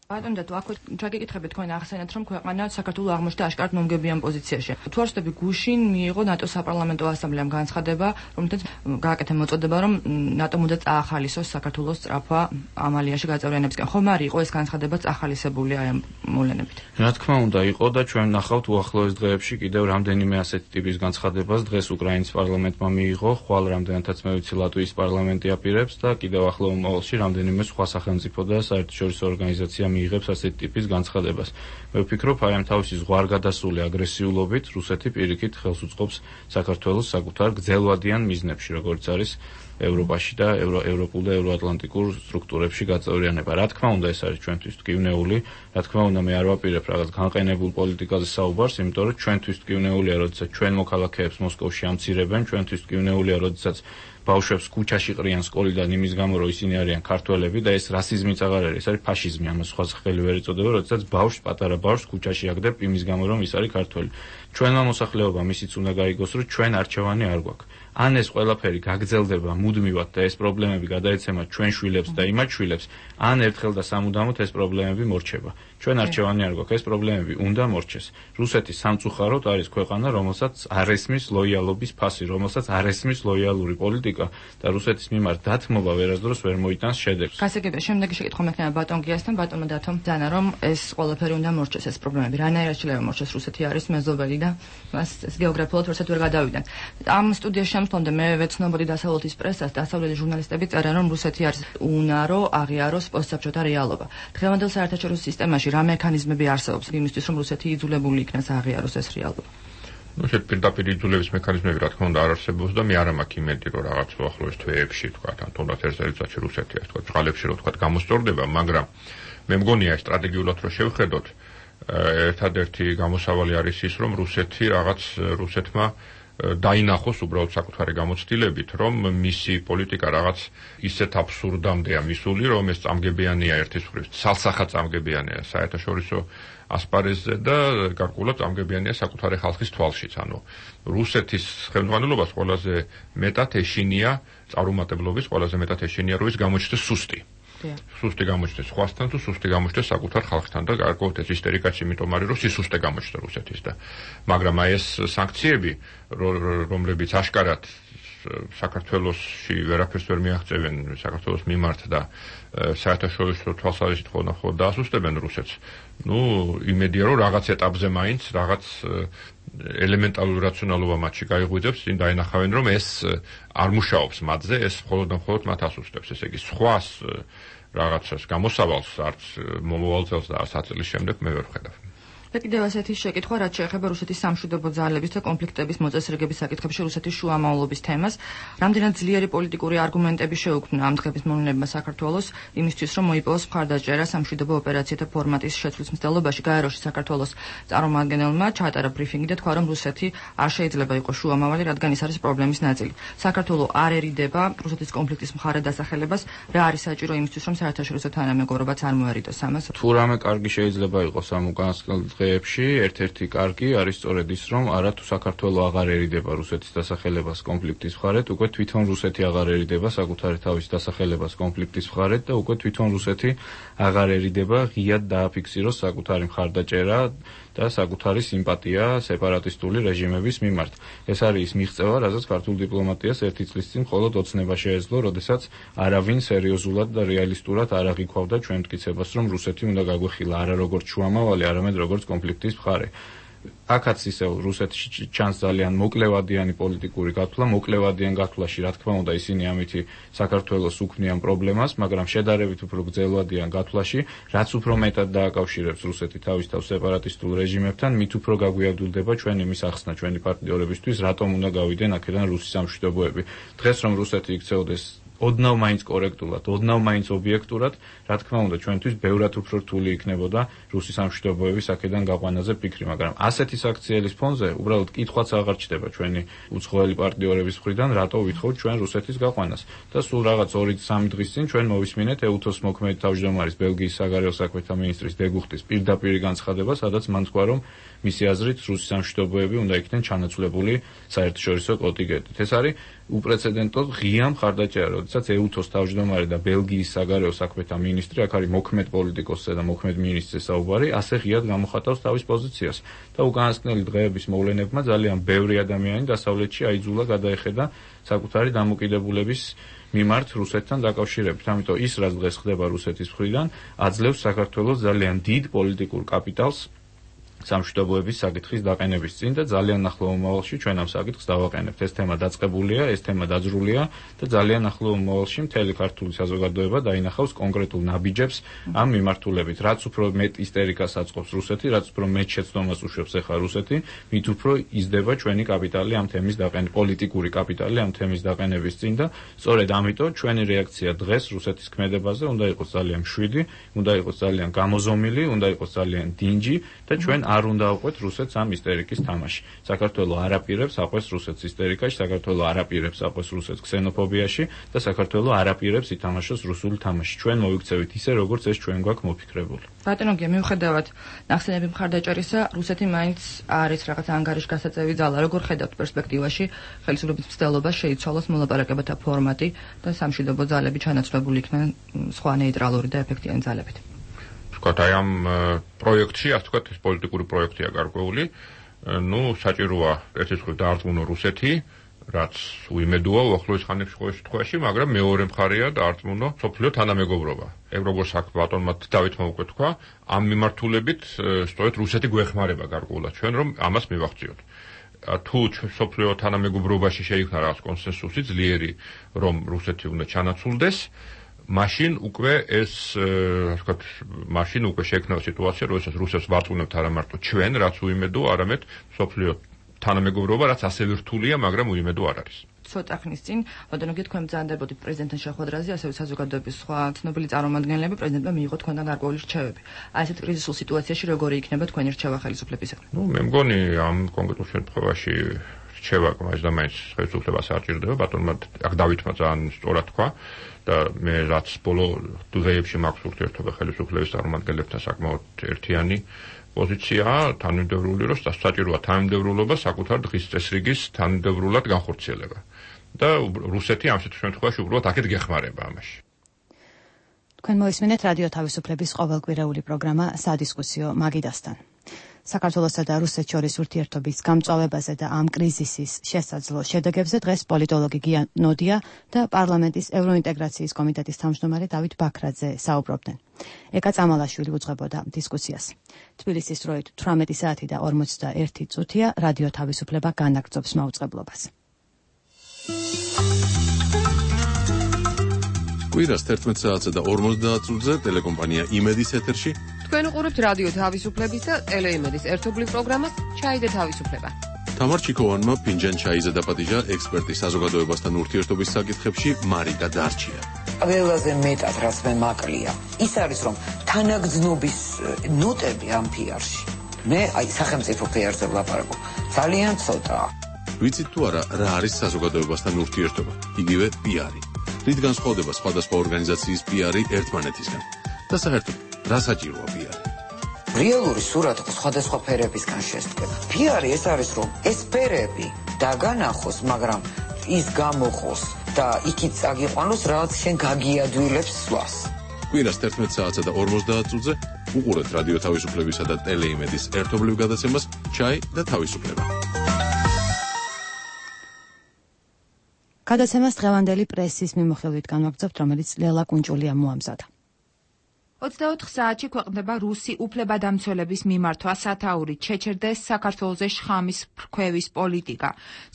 ბატონო და თუ აქ ჩაგიკითხებით თქვენ ახსენეთ, რომ ქვეყანა საქართველოს აღმოჩნდა აშკარად მომგებიან პოზიციაში. თუ არ ვსწრები, გუშინ მიიღო ნატოს საპარლამენტო ასამბლეამ განცხადება, რომელთაც გააკეთა მოწოდება, რომ ნატომ უნდა წაახალისოს საქართველოს სწრაფვა ამ ალიანსში გაწევრიანებისკენ. ხომ არ იყო ეს განცხადება წახალისებული აი ამ მოვლენებით? რა თქმა უნდა იყო და ჩვენ ნახავთ უახლოეს დღეებში კიდევ რამდენიმე ასეთი ტიპის განცხადებას. დღეს უკრაინის პარლამენტმა მიიღო, ხვალ რამდენადაც მე ვიცი ლატვიის პარლამენტი აპირებს და კიდევ ახლო მომავალში რამდენიმე სხვა სახელმწიფო და საერთაშორისო ორგანიზაცია მიიღებს ასეთი ტიპის განცხადებას. მე ვფიქრობ, აი ამ თავისი ზღვარგადასული აგრესიულობით რუსეთი პირიქით ხელს უწყობს საქართველოს საკუთარ გრძელვადიან მიზნებში, როგორც არის ევროპაში და ევრო ევროპულ და ევროატლანტიკურ სტრუქტურებში გაწევრიანება. რა თქმა უნდა, ეს არის ჩვენთვის ტკივნეული, რა თქმა უნდა, მე არ ვაპირებ რაღაც განყენებულ პოლიტიკაზე საუბარს, იმიტომ რომ ჩვენთვის ტკივნეულია, როდესაც ჩვენ მოქალაქეებს მოსკოვში ამცირებენ, ჩვენთვის ტკივნეულია, როდესაც ბავშვებს ქუჩაში ყრიან სკოლიდან იმის გამო, რომ ისინი არიან ქართველები და ეს რასიზმიც აღარ არის, ეს არის ფაშიზმი, ამას სხვა სახელი ვერ ეწოდება, როდესაც ბავშვს, პატარა ბავშვს ქუჩაში აგდებ იმის გამო, რომ ის არის ქართველი. ჩვენმა მოსახლეობამ ისიც უნდა გაიგოს, რომ ჩვენ არჩევანი არ გვაქვს. ან ეს ყველაფერი გაგრძელდება მუდმივად და ეს პრობლემები გადაეცემა ჩვენ შვილებს და იმათ შვილებს, ან ერთხელ და სამუდამოდ ეს პრობლემები მორჩება. ჩვენ არჩევანი არ გვაქვს, ეს პრობლემები უნდა მორჩეს. რუსეთი სამწუხაროდ არის ქვეყანა, რომელსაც არ ესმის ლოიალობის ფასი, რომელსაც არ ესმის ლოიალური პოლიტიკა და რუსეთის მიმართ დათმობა ვერასდროს ვერ მოიტანს შედეგს. გასაგებია, შემდეგი შეკითხვა მექნება ბატონ გიასთან, ბატონმა დათომ ძანა, რომ ეს ყველაფერი უნდა მორჩეს ეს პრობლემები. რანაირად შეიძლება მორჩეს? რუსეთი არის მეზობელი და მას ეს გეოგრაფიულად ვერცად ვერ გადავიდან. ამ სტუდიაში შემდგომდე მე ვეცნობოდი დასავლეთის პრესას, დასავლელი ჟურნალისტები წერენ, რომ რუსეთი არის უნარო აღიაროს პოსტსაბჭოთა რეალობა. დღევანდელ საერთაშორისო სისტემაში რა მექანიზმები არსებობს იმისთვის, რომ რუსეთი იძულებული იქნას აღიაროს ეს რეალობა? ну შეთ პირდაპირ იძულების მექანიზმები რა თქმა უნდა არ არსებობს და მე არ მაქვს იმედი რომ რაღაც უახლოეს თვეებში თქვა ან თუნდაც ერთ წელიწადში რუსეთი ასე თქვა წყალებში რო თქვა გამოსწორდება, მაგრამ მე მგონია სტრატეგიულად რო შევხედოთ ერთადერთი გამოსავალი არის ის რომ რუსეთი რაღაც რუსეთმა დაინახოს უბრალოდ საკუთარი გამოცდილებით, რომ მისი პოლიტიკა რაღაც ისეთ აბსურდამდეა მისული, რომ ეს წამგებიანია ერთის მხრივ, ცალსახა წამგებიანია საერთაშორისო ასპარეზზე და გარკვეულად წამგებიანია საკუთარი ხალხის თვალშიც. ანუ რუსეთის ხელმძღვანელობას ყველაზე მეტად ეშინია წარუმატებლობის, ყველაზე მეტად ეშინია რომ ის გამოჩნდეს სუსტი. სუსტი გამოჩნდეს სხვასთან თუ სუსტი გამოჩნდეს საკუთარ ხალხთან და გარკვეულად ეს ისტერიკაც იმიტომ არის, რომ სისუსტე გამოჩნდა რუსეთის და მაგრამ აი ეს სანქციები, რომლებიც აშკარად საქართველოსში ვერაფერს ვერ მიაღწევენ საქართველოს მიმართ და საერთაშორისო თვალსაზრისით ხოლმე დაასუსტებენ რუსეთს. ну იმედია რომ რაღაც ეტაპზე მაინც რაღაც ელემენტარული რაციონალობა მათში გაიღვიძებს, წინ დაინახავენ რომ ეს არ მუშაობს მათზე, ეს მხოლოდ და მხოლოდ მათ ასუსტებს. ესე იგი სხვას რაღაცას გამოსავალს არც მომავალ წელს და ათი წლის შემდეგ მე ვერ ვხედავ. და კიდევ ასეთი შეკითხვა, რაც შეეხება რუსეთის სამშვიდობო ძალების და კონფლიქტების მოწესრიგების საკითხებში რუსეთის შუამავლობის თემას. რამდენად ძლიერი პოლიტიკური არგუმენტები შეუქმნა ამ დღების მოვლენებმა საქართველოს იმისთვის, რომ მოიპოვოს მხარდაჭერა სამშვიდობო ოპერაციათა ფორმატის შეცვლის მცდელობაში. გაეროში საქართველოს წარმომადგენელმა ჩაატარა ბრიფინგი და თქვა, რომ რუსეთი არ შეიძლება იყოს შუამავალი, რადგან ის არის პრობლემის ნაწილი. საქართველოს არ ერიდება რუსეთის კონფლიქტის მხარე დასახელებას, რა არის საჭირო იმისთვის, რომ საერთაშორისო თანამეგობრობაც არ მოერიდოს ამას. თუ რამე კარგი შეიძლება იყოს ამ უკანასკნელ დღეებში, ერთ-ერთი კარგი არის სწორედ ის, რომ არა თუ საქართველოს აღარერიდება რუსეთის დასახელებას კონფლიქტის მხარეთ, უკვე თვითონ რუსეთი აღარერიდება საკუთარი თავის დასახელებას კონფლიქტის მხარეთ და უკვე თვითონ რუსეთი აღარერიდება ღიად დააფიქსიროს საკუთარი მხარდაჭერა და საკუთარი სიმპათია სეპარატისტული რეჟიმების მიმართ. ეს არის ის მიღწევა, რაზეც ქართულ დიპლომატიას ერთი წლის წინ მხოლოდ ოცნება შეეძლო, როდესაც არავინ სერიოზულად და რეალისტურად არ აღიქვავდა ჩვენ მტკიცებას, რომ რუსეთი უნდა გაგვეხილა არა როგორც შუამავალი, არამედ როგორც კონფლიქტის მხარე. აქაც ისევ რუსეთში ჩანს ძალიან მოკლევადიანი პოლიტიკური გათვლა, მოკლევადიან გათვლაში, რა თქმა უნდა, ისინი ამითი საქართველოს უქმნიან პრობლემას, მაგრამ შედარებით უფრო გრძელვადიან გათვლაში, რაც უფრო მეტად დააკავშირებს რუსეთი თავის თავს სეპარატისტულ რეჟიმებთან, მით უფრო გაგვიადვილდება ჩვენი მის ახსნა ჩვენი პარტნიორებისთვის, რატომ უნდა გავიდენ აქედან რუსი სამშვიდობოები. დღეს რომ რუსეთი იქცეოდეს ოდნავ მაინც კორექტულად, ოდნავ მაინც ობიექტურად, რა თქმა უნდა, ჩვენთვის ბევრად უფრო რთული იქნებოდა რუსი სამშვიდობოების აქედან გაყვანაზე ფიქრი, მაგრამ ასეთი საქციელის ფონზე უბრალოდ კითხვაც აღარ ჩდება ჩვენი უცხოელი პარტნიორების მხრიდან, რატო ვითხოვთ ჩვენ რუსეთის გაყვანას. და სულ რაღაც ორი სამი დღის წინ ჩვენ მოვისმინეთ ეუთოს მოქმედი თავმჯდომარის ბელგიის საგარეო საქმეთა მინისტრის დეგუხტის პირდაპირი განცხადება, სადაც მან თქვა, რომ მისი აზრით რუსი სამშვიდობოები უნდა იქნენ ჩანაცვლებული საერთაშორისო კონტინგენტით. ეს არის უპრეცედენტო ღია მხარდაჭერა, როდესაც ეუთოს თავმჯდომარე და ბელგიის საგარეო საქმეთა მინისტრი, აქ არის მოქმედ პოლიტიკოსზე და მოქმედ მინისტრზე საუბარი, ასე ღიად გამოხატავს თავის პოზიციას. და უკანასკნელი დღეების მოვლენებმა ძალიან ბევრი ადამიანი დასავლეთში აიძულა გადაეხედა საკუთარი დამოკიდებულების მიმართ რუსეთთან დაკავშირებით. ამიტომ ის, რაც დღეს ხდება რუსეთის მხრიდან, აძლევს საქართველოს ძალიან დიდ პოლიტიკურ კაპიტალს სამშვიდობოების საკითხის დაყენების წინ და ძალიან ახლო მომავალში ჩვენ ამ საკითხს დავაყენებთ. ეს თემა დაწყებულია, ეს თემა დაძრულია და ძალიან ახლო მომავალში მთელი ქართული საზოგადოება დაინახავს კონკრეტულ ნაბიჯებს ამ მიმართულებით. რაც უფრო მეტ ისტერიკას აწყობს რუსეთი, რაც უფრო მეტ შეცდომას უშვებს ახლა რუსეთი, მით უფრო იზრდება ჩვენი კაპიტალი ამ თემის დაყენების, პოლიტიკური კაპიტალი ამ თემის დაყენების წინ და სწორედ ამიტომ ჩვენი რეაქცია დღეს რუსეთის ქმედებაზე უნდა იყოს ძალიან მშვიდი, უნდა იყოს ძალიან გამოზომილი, უნდა იყოს ძალიან დინჯი და ჩვენ არ უნდა აყვეთ რუსეთს ამ ისტერიკის თამაში. საქართველო არ აპირებს აყვეს რუსეთს ისტერიკაში, საქართველო არ აპირებს აყვეს რუსეთს ქსენოფობიაში და საქართველო არ აპირებს ითამაშოს რუსული თამაში. ჩვენ მოვიქცევით ისე, როგორც ეს ჩვენ გვაქვს მოფიქრებული. ბატონო გია, მიუხედავად ნახსენები მხარდაჭერისა, რუსეთი მაინც არის რაღაც ანგარიშგასაწევი ძალა. როგორ ხედავთ პერსპექტივაში ხელისუფლების მცდელობას შეიცვალოს მოლაპარაკებათა ფორმატი და სამშვიდობო ძალები ჩანაცვლებული იქნენ სხვა ნეიტრალური და ეფექტიანი ძალებით? ვთქვათ, აი ამ პროექტში, ასე ვთქვათ, ეს პოლიტიკური პროექტია გარკვეული. ნუ საჭიროა ერთი მხრივ დაარწმუნო რუსეთი, რაც უიმედოა უახლოეს ხანებში ყოველ შემთხვევაში, მაგრამ მეორე მხარეა დაარწმუნო სოფლიო თანამეგობრობა. ეგ როგორც აქ ბატონმა დავითმა უკვე თქვა, ამ მიმართულებით სწორედ რუსეთი გვეხმარება გარკვეულად ჩვენ, რომ ამას მივახციოთ. თუ სოფლიო თანამეგობრობაში შეიქმნა რაღაც კონსენსუსი ძლიერი, რომ რუსეთი უნდა ჩანაცვლდეს, მაშინ უკვე ეს, ასე ვთქვათ, მაშინ უკვე შექმნება სიტუაცია, როდესაც რუსებს ვარწმუნებთ არა მარტო ჩვენ, რაც უიმედო, არამედ სოფლიო თანამეგობრობა, რაც ასევე რთულია, მაგრამ უიმედო არ არის. ცოტა ხნის წინ, ბატონო გია, თქვენ ბრძანდებოდით პრეზიდენტთან შეხვედრაზე, ასევე საზოგადოების სხვა ცნობილი წარმომადგენლები პრეზიდენტმა მიიღო თქვენთან გარკვეული რჩევები. აი ესეთ კრიზისულ სიტუაციაში როგორი იქნება თქვენი რჩევა ხელისუფლებისგან? ნუ მე მგონი ამ კონკრეტულ შემთხვევაში რჩევა მაინც და მაინც ხელისუფლებას არ ჭირდება, ბატონმა აქ დავითმა ძალიან სწორად თქვა და მე რაც ბოლო დღეებში მაქვს ურთიერთობა ხელისუფლების წარმომადგენლებთან საკმაოდ ერთიანი პოზიცია თანმიმდევრული, რომ საჭიროა თანმიმდევრულობა საკუთარ დღის წესრიგის თანმიმდევრულად განხორციელება. და რუსეთი ამ შემთხვევაში უბრალოდ აქეთ გეხმარება ამაში. თქვენ მოისმინეთ რადიო თავისუფლების ყოველკვირეული პროგრამა სადისკუსიო მაგიდასთან. საქართველოსა და რუსეთს შორის ურთიერთობის გამწვავებაზე და ამ კრიზისის შესაძლო შედეგებზე დღეს პოლიტოლოგი გია ნოდია და პარლამენტის ევროინტეგრაციის კომიტეტის თავმჯდომარე დავით ბაქრაძე საუბრობდნენ. ეკა წამალაშვილი უძღვებოდა დისკუსიას. თბილისის დროით თვრამეტი საათი და ორმოცდაერთი წუთია რადიო თავისუფლება განაგრძობს მაუწყებლობას. კვირას თერთმეტ საათსა და ორმოცდაათ წუთზე ტელეკომპანია იმედის ეთერში თქვენ უყურებთ რადიო თავისუფლების და ტელეიმედის ერთობლივ პროგრამას ჩაი და თავისუფლება. თამარ ჩიქოვანმა ფინჯან ჩაიზე დაპატიჟა ექსპერტი საზოგადოებასთან ურთიერთობის საკითხებში მარიკა დარჩია. ყველაზე მეტად რაც მე მაკლია, ის არის რომ თანაგრძნობის ნოტები ამ პიარში. მე აი სახელმწიფო პიარზე ვლაპარაკობ. ძალიან ცოტაა. ვიცით თუ არა რა არის საზოგადოებასთან ურთიერთობა? იგივე პიარი. რით განსხვავდება სხვადასხვა ორგანიზაციის პიარი ერთმანეთისგან? და საერთოდ რა საჭიროა პიარი? რეალური სურათი სხვადასხვა ფერებისგან შესდგება. პიარი ეს არის რომ ეს ფერები დაგანახოს, მაგრამ ის გამოყოს და იქით წაგიყვანოს, რაც შენ გაგიადვილებს სვლას. კვირას თერთმეტ საათსა და ორმოცდაათ წუთზე უყურებთ რადიო თავისუფლებისა და ტელეიმედის ერთობლივ გადაცემას ჩაი და თავისუფლება. გადაცემას დღევანდელი პრესის მიმოხილვით განვაგრძობთ, რომელიც ლელა კუნჭულიამ მოამზადა. ოცდაოთხ საათში ქვეყნდება რუსი უფლებადამცველების მიმართვა სათაურით შეჩერდეს საქართველოზე შხამის ფრქვევის პოლიტიკა.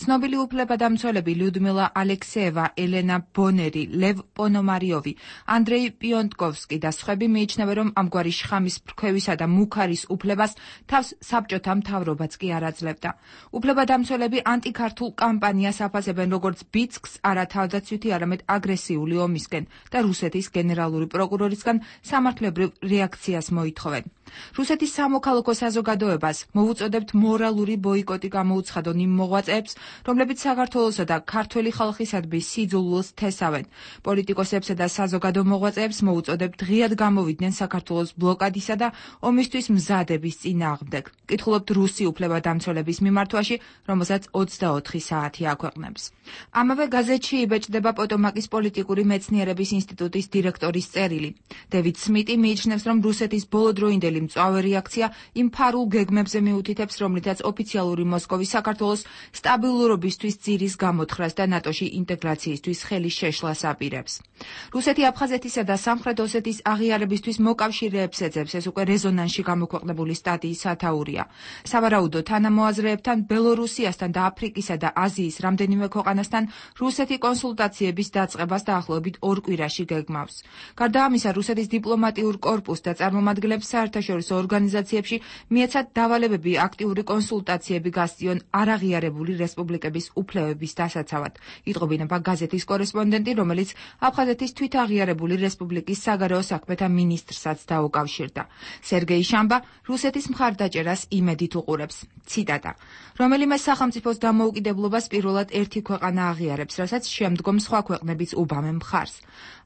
ცნობილი უფლებადამცველები ლიუდმილა ალექსეევა, ელენა ბონერი, ლევ პონომარიოვი, ანდრეი პიონტკოვსკი და სხვები მიიჩნევენ, რომ ამგვარი შხამის ფრქვევისა და მუქარის უფლებას თავს საბჭოთა მთავრობაც კი არ აძლევდა. უფლებადამცველები ანტიქართულ კამპანიას აფასებენ როგორც ბიძგს არა თავდაცვითი, არამედ აგრესიული ომისკენ და რუსეთის გენერალური პროკურორისგან სამართლებრივ რეაქციას მოითხოვენ. რუსეთის სამოქალაქო საზოგადოებას მოვუწოდებთ მორალური ბოიკოტი გამოუცხადონ იმ მოღვაწეებს, რომლებიც საქართველოსა და ქართველი ხალხისადმი სიძულვილს თესავენ. პოლიტიკოსებსა და საზოგადო მოღვაწეებს მოვუწოდებთ ღიად გამოვიდნენ საქართველოს ბლოკადისა და ომისთვის მზადების წინააღმდეგ. კითხულობთ რუსი უფლებადამცველების მიმართვაში, რომელსაც ოცდაოთხი საათი აქვეყნებს. ამავე გაზეთში იბეჭდება პოტომაკის პოლიტიკური მეცნიერების ინსტიტუტის დირექტორის წერილი. დევიდ სმიტი მიიჩნევს, რომ რუსეთის ბოლოდროინდელი მწვავე რეაქცია იმ ფარულ გეგმებზე მიუთითებს, რომლითაც ოფიციალური მოსკოვი საქართველოს სტაბილურობისთვის ძირის გამოთხრას და ნატოში ინტეგრაციისთვის ხელის შეშლას აპირებს. რუსეთი აფხაზეთისა და სამხრეთ ოსეთის აღიარებისთვის მოკავშირეებს ეძებს, ეს უკვე რეზონანსში გამოქვეყნებული სტატიის სათაურია. სავარაუდო თანამოაზრეებთან ბელორუსიასთან და აფრიკისა და აზიის რამდენიმე ქვეყანასთან რუსეთი კონსულტაციების დაწყებას დაახლოებით ორ კვირაში გეგმავს. გარდა ამისა, რუსეთის დიპლომატიურ კორპუსს და წარმომადგენლებს საერთაშორისო საერთაშორისო ორგანიზაციებში, მიეცათ დავალებები აქტიური კონსულტაციები გასწიონ არაღიარებული რესპუბლიკების უფლებების დასაცავად. იტყობინება გაზეთის კორესპონდენტი, რომელიც აფხაზეთის თვითაღიარებული რესპუბლიკის საგარეო საქმეთა მინისტრსაც დაუკავშირდა. სერგეი შამბა რუსეთის მხარდაჭერას იმედით უყურებს. ციტატა: რომელიმე სახელმწიფოს დამოუკიდებლობას პირველად ერთი ქვეყანა აღიარებს, რასაც შემდგომ სხვა ქვეყნებიც უბამენ მხარს.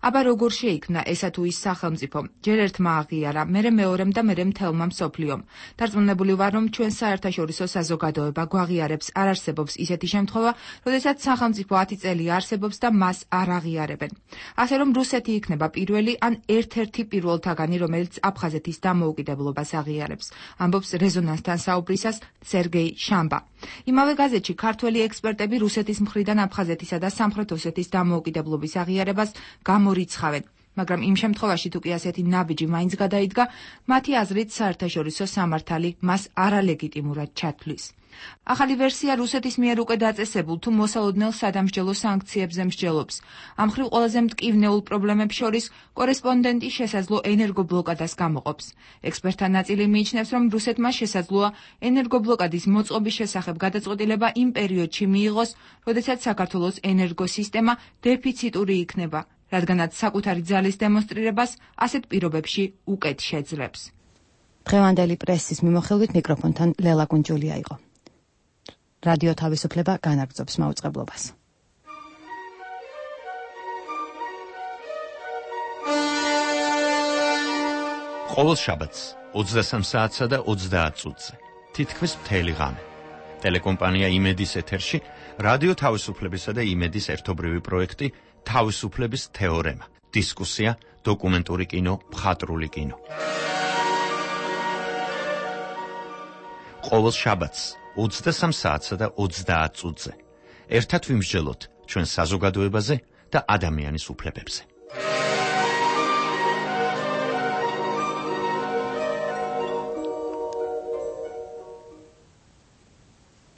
აბა როგორ შეიქმნა ესა თუ ის სახელმწიფო? ჯერ ერთმა აღიარა, მერე მეორემ და მერე მთელმა მსოფლიომ. დარწმუნებული ვარ, რომ ჩვენ საერთაშორისო საზოგადოება გვაღიარებს. არ არსებობს ისეთი შემთხვევა, როდესაც სახელმწიფო ათი წელი არსებობს და მას არ აღიარებენ. ასე რომ რუსეთი იქნება პირველი ან ერთ-ერთი პირველთაგანი, რომელიც აფხაზეთის დამოუკიდებლობას აღიარებს, ამბობს რეზონანსთან საუბრისას სერგეი შამბა. იმავე გაზეთში ქართველი ექსპერტები რუსეთის მხრიდან აფხაზეთისა და სამხრეთ ოსეთის დამოუკიდებლობის აღიარებას გამორიცხავენ. მაგრამ იმ შემთხვევაში თუ კი ასეთი ნაბიჯი მაინც გადაიდგა, მათი აზრით საერთაშორისო სამართალი მას არალეგიტიმურად ჩათვლის. ახალი ვერსია რუსეთის მიერ უკვე დაწესებულ თუ მოსალოდნელ სადამსჯელო სანქციებზე მსჯელობს. ამ მხრივ ყველაზე მტკივნეულ პრობლემებს შორის კორესპონდენტი შესაძლო ენერგობლოკადას გამოყოფს. ექსპერტთა ნაწილი მიიჩნევს, რომ რუსეთმა შესაძლოა ენერგობლოკადის მოწყობის შესახებ გადაწყვეტილება იმ პერიოდში მიიღოს, როდესაც საქართველოს ენერგოსისტემა დეფიციტური იქნება, რადგანაც საკუთარი ძალის დემონსტრირებას ასეთ პირობებში უკეთ შეძლებს. დღევანდელი პრესის მიმოხილვით მიკროფონთან ლელა კუნჯულია იყო. რადიო თავისუფლება განაგრძობს მაუწყებლობას. ყოველ შაბათს ოცდასამ საათსა და ოცდაათ წუთზე თითქმის მთელი ღამე ტელეკომპანია იმედის ეთერში რადიო თავისუფლებისა და იმედის ერთობრივი პროექტი თავისუფლების თეორემა, დისკუსია, დოკუმენტური კინო, მხატვრული კინო. ყოველ შაბათს ოცდასამ საათსა და ოცდაათ წუთზე ერთად ვიმსჯელოთ ჩვენ საზოგადოებაზე და ადამიანის უფლებებზე.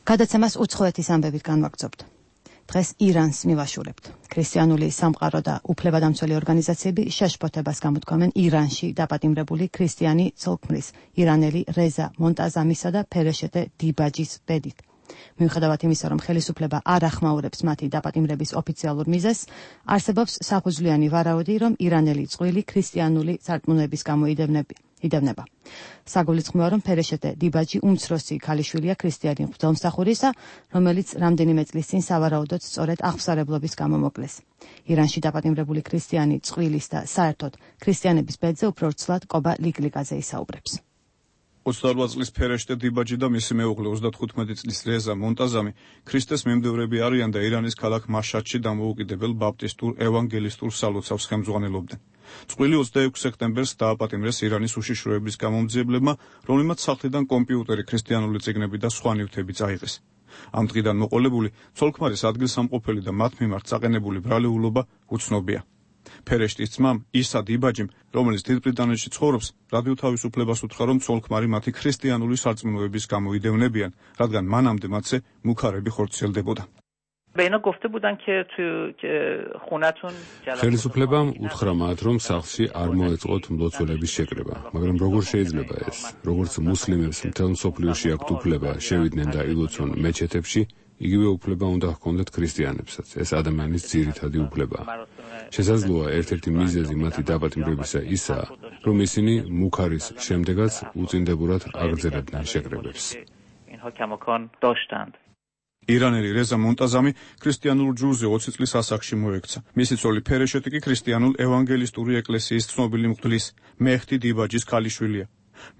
გადაცემას უცხოეთის ამბებით განვაგრძობთ. დღეს ირანს მივაშურებთ. ქრისტიანული სამყარო და უფლებადამცველი ორგანიზაციები შეშფოთებას გამოთქვამენ ირანში დაპატიმრებული ქრისტიანი ცოლ-ქმრის ირანელი რეზა მონტაზამისა და ფერეშეტე დიბაჯის ბედით. მიუხედავად იმისა, რომ ხელისუფლება არ ახმაურებს მათი დაპატიმრების ოფიციალურ მიზეზს, არსებობს საფუძვლიანი ვარაუდი, რომ ირანელი წყვილი ქრისტიანული სარწმუნოების გამო იდევნება. საგულისხმოა, რომ ფერეშეტე დიბაჯი უმცროსი ქალიშვილია ქრისტიანი მღვდელმსახურისა, რომელიც რამდენიმე წლის წინ სავარაუდოდ სწორედ აღსარებლობის გამო მოკლეს. ირანში დაპატიმრებული ქრისტიანი წყვილის და საერთოდ ქრისტიანების ბედზე უფრო ვრცლად კობა ლიგლიგაძე ისაუბრებს. ოცდაორ წლის ფერეშტე დიბაჯი და მისი მეუღლე ოცდათხუთმეტი წლის რეზა მონტაზამი ქრისტეს მიმდევრები არიან და ირანის ქალაქ მაშადში დამოუკიდებელ ბაპტისტურ ევანგელისტურ სალოცავს ხელმძღვანელობდნენ. წყვილი ოცდაექვსი სექტემბერს დააპატიმრეს ირანის უშიშროების გამომძიებლებმა, რომლიმაც სახლიდან კომპიუტერი, ქრისტიანული წიგნები და სხვა ნივთები წაიღეს. ამ დღიდან მოყოლებული ცოლ-ქმარის ადგილსამყოფელი და მათ მიმართ წაყენებული ბრალეულობა უცნობია. ფერეშტის ძმამ ისა დიბაჯიმ, რომელიც დიდ ბრიტანეთში ცხოვრობს, რადიო თავისუფლებას უთხრა, რომ ცოლ-ქმარი მათი ქრისტიანული სარწმუნოების გამო იდევნებიან, რადგან მანამდე მათზე მუქარები ხორციელდებოდა. ხელისუფლებამ უთხრა მათ, რომ სახლში არ მოეწყოთ მლოცველების შეკრება, მაგრამ როგორ შეიძლება ეს? როგორც მუსლიმებს მთელ მსოფლიოში აქვთ უფლება შევიდნენ და ილოცონ მეჩეთებში, იგივე უფლება უნდა ჰქონდეთ ქრისტიანებსაც. ეს ადამიანის ძირითადი უფლებაა. შესაძლოა ერთ-ერთი მიზეზი მათი დაპატიმრებისა ისაა, რომ ისინი მუქარის შემდეგაც უწინდებურად აგრძელებდნენ შეკრებებს. ირანელი რეზა მონტაზამი ქრისტიანულ ჯვრზე ოცი წლის ასაკში მოექცა. მისი ცოლი ფერეშეტი კი ქრისტიანულ ევანგელისტური ეკლესიის ცნობილი მღვდლის მეჰდი დიბაჯის ქალიშვილია.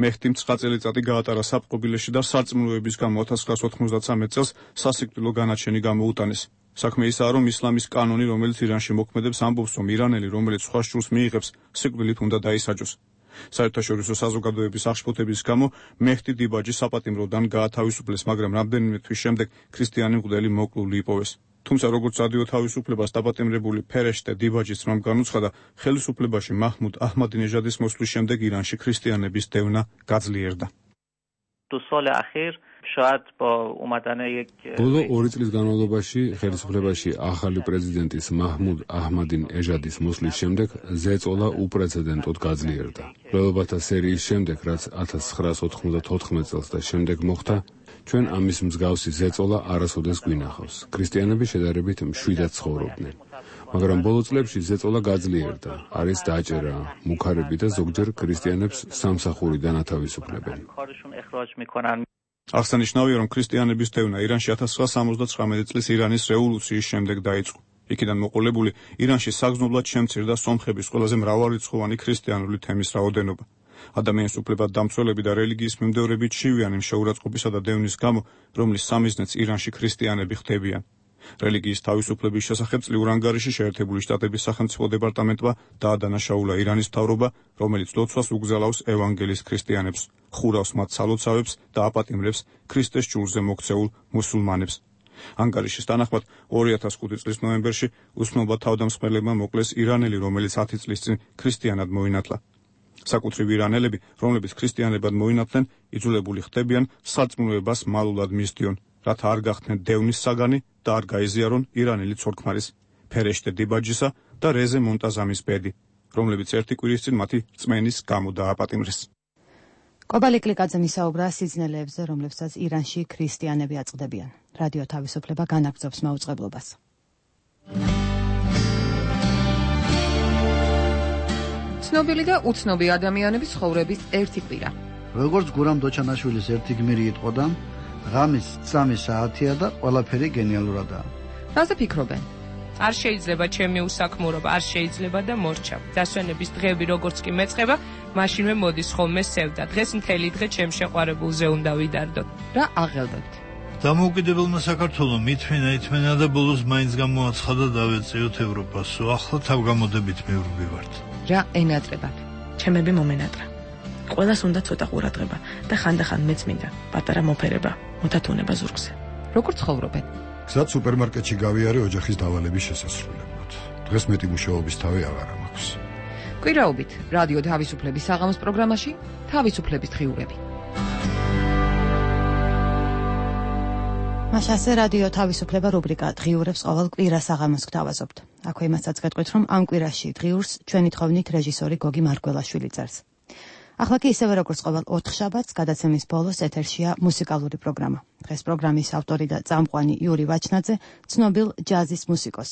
მეჰდიმ ცხრა წელიწადი გაატარა საპყრობილეში და სარწმუნოების გამო ოთხ ათას ოცდათხმეტ წელს სასიკვდილო განაჩენი გამოუტანეს. საქმე ისაა, რომ ისლამის კანონი, რომელიც ირანში მოქმედებს, ამბობს, რომ ირანელი, რომელიც სხვა შვილს მიიღებს, სიკვდილით უნდა დაისაჯოს. საერთაშორისო საზოგადოების აღშფოთების გამო მეჰდი დიბაჯი საპატიმროდან გაათავისუფლეს, მაგრამ რამდენიმე თვის შემდეგ ქრისტიანი მღვდელი მოკლული იპოვეს. თუმცა როგორც რადიო თავისუფლებას დაპატიმრებული ფერეშტე დიბაჯის ძმამ განუცხადა, ხელისუფლებაში მაჰმუდ აჰმადინეჟადის მოსვლის შემდეგ ირანში ქრისტიანების დევნა გაძლიერდა. دو سال اخیر شاید با اومدن یک ბოლო ორი წლის განმავლობაში ხელისუფლებაში ახალი პრეზიდენტის მაჰმუდ აჰმადინ ეჟადის მოსვლის შემდეგ ზეწოლა უპრეცედენტოდ გაძლიერდა. მკვლელობათა სერიის შემდეგ, რაც ათას ცხრაას ოთხმოცდათოთხმეტ წელს და შემდეგ მოხდა, ჩვენ ამის მსგავსი ზეწოლა არასოდეს გვინახავს. ქრისტიანები შედარებით მშვიდად ცხოვრობდნენ. მაგრამ ბოლო წლებში ზეწოლა გაძლიერდა. არის დაჭერა, მუქარები და ზოგჯერ ქრისტიანებს სამსახურიდან ათავისუფლებენ. აღსანიშნავია, რომ ქრისტიანების დევნა ირანში ათას ცხრაას სამოცდათხრამეტი წლის ირანის რევოლუციის შემდეგ დაიწყო. იქიდან მოყოლებული ირანში საგრძნობლად შემცირდა სომხების ყველაზე მრავალრიცხოვანი ქრისტიანული თემის რაოდენობა. ადამიანის უფლებად დამცველები და რელიგიის მიმდევრებით შივიანი შეურაცხყოფისა და დევნის გამო, რომლის სამიზნეც ირანში ქრისტიანები ხდებიან. რელიგიის თავისუფლების შესახებ წლიურ ანგარიში შეერთებული შტატების სახელმწიფო დეპარტამენტმა დაადანაშაულა ირანის მთავრობა, რომელიც ლოცვას უგზალავს ევანგელის ქრისტიანებს, ხურავს მათ სალოცავებს და აპატიმრებს ქრისტეს ჭურზე მოქცეულ მუსულმანებს. ანგარიშის თანახმად ორი ათას ხუთი წლის ნოემბერში უსმელმა თავდამსხმელებმა მოკლეს ირანელი, რომელიც ათი წლის წინ ქრისტიანად მოინათლა. საკუთრივ ირანელები, რომლებიც ქრისტიანებად მოინათლენ, იძულებული ხდებიან სარწმუნოებას მალულად მისდიონ, რათა არ გახდნენ დევნის საგანი და არ გაიზიარონ ირანელი ცოლ-ქმარის, ფერეშტე დიბაჯისა და რეზე მონტაზამის ბედი, რომლებიც ერთი კვირის წინ მათი რწმენის გამო დააპატიმრეს. კობალი კლიკაძე მისაუბრა სიძნელეებზე, რომლებსაც ირანში ქრისტიანები აწყდებიან. რადიო თავისუფლება განაგრძობს მაუწყებლობას. ცნობილი და უცნობი ადამიანების ცხოვრების ერთი კვირა. როგორც გურამ დოჩანაშვილის ერთი გმირი იტყოდა, ღამის სამი საათია და ყველაფერი გენიალურადაა. რაზე ფიქრობენ? არ შეიძლება ჩემი უსაქმურობა, არ შეიძლება და მორჩა. დასვენების დღეები როგორც კი მეწყება, მაშინვე მოდის ხოლმე სევდა. დღეს მთელი დღე ჩემ შეყვარებულზე უნდა ვიდარდოთ. რა აღელვებთ? დამოუკიდებელმა საქართველომ ითმენა ითმენა და ბოლოს მაინც გამოაცხადა დავეწიოთ ევროპას. ახლა თავგამოდებით მივრბივართ. რა ენატრებათ? ჩემები მომენატრა. ყველას უნდა ცოტა ყურადღება და ხანდახან მეც მინდა პატარა მოფერება, მოთათუნება ზურგზე. როგორ ცხოვრობენ? გზად სუპერმარკეტში გავიარე ოჯახის დავალების შესასრულებლად. დღეს მეტი მუშაობის თავი აღარ მაქვს. კვირაობით რადიო თავისუფლების საღამოს პროგრამაში თავისუფლების დღიურები. მაშასე რადიო თავისუფლება რუბრიკა დღიურებს ყოველ კვირას საღამოს გთავაზობთ. აქვე იმასაც გეტყვით, რომ ამ კვირაში დღიურს ჩვენი თხოვნით რეჟისორი გოგი მარგველაშვილი წერს. ახლა კი ისევე როგორც ყოველ ოთხშაბათს გადაცემის ბოლოს ეთერშია მუსიკალური პროგრამა. დღეს პროგრამის ავტორი და წამყვანი იური ვაჩნაძე ცნობილ ჯაზის მუსიკოს,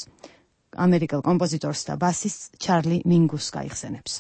ამერიკელ კომპოზიტორს და ბასისტს ჩარლი მინგუსს გაიხსენებს.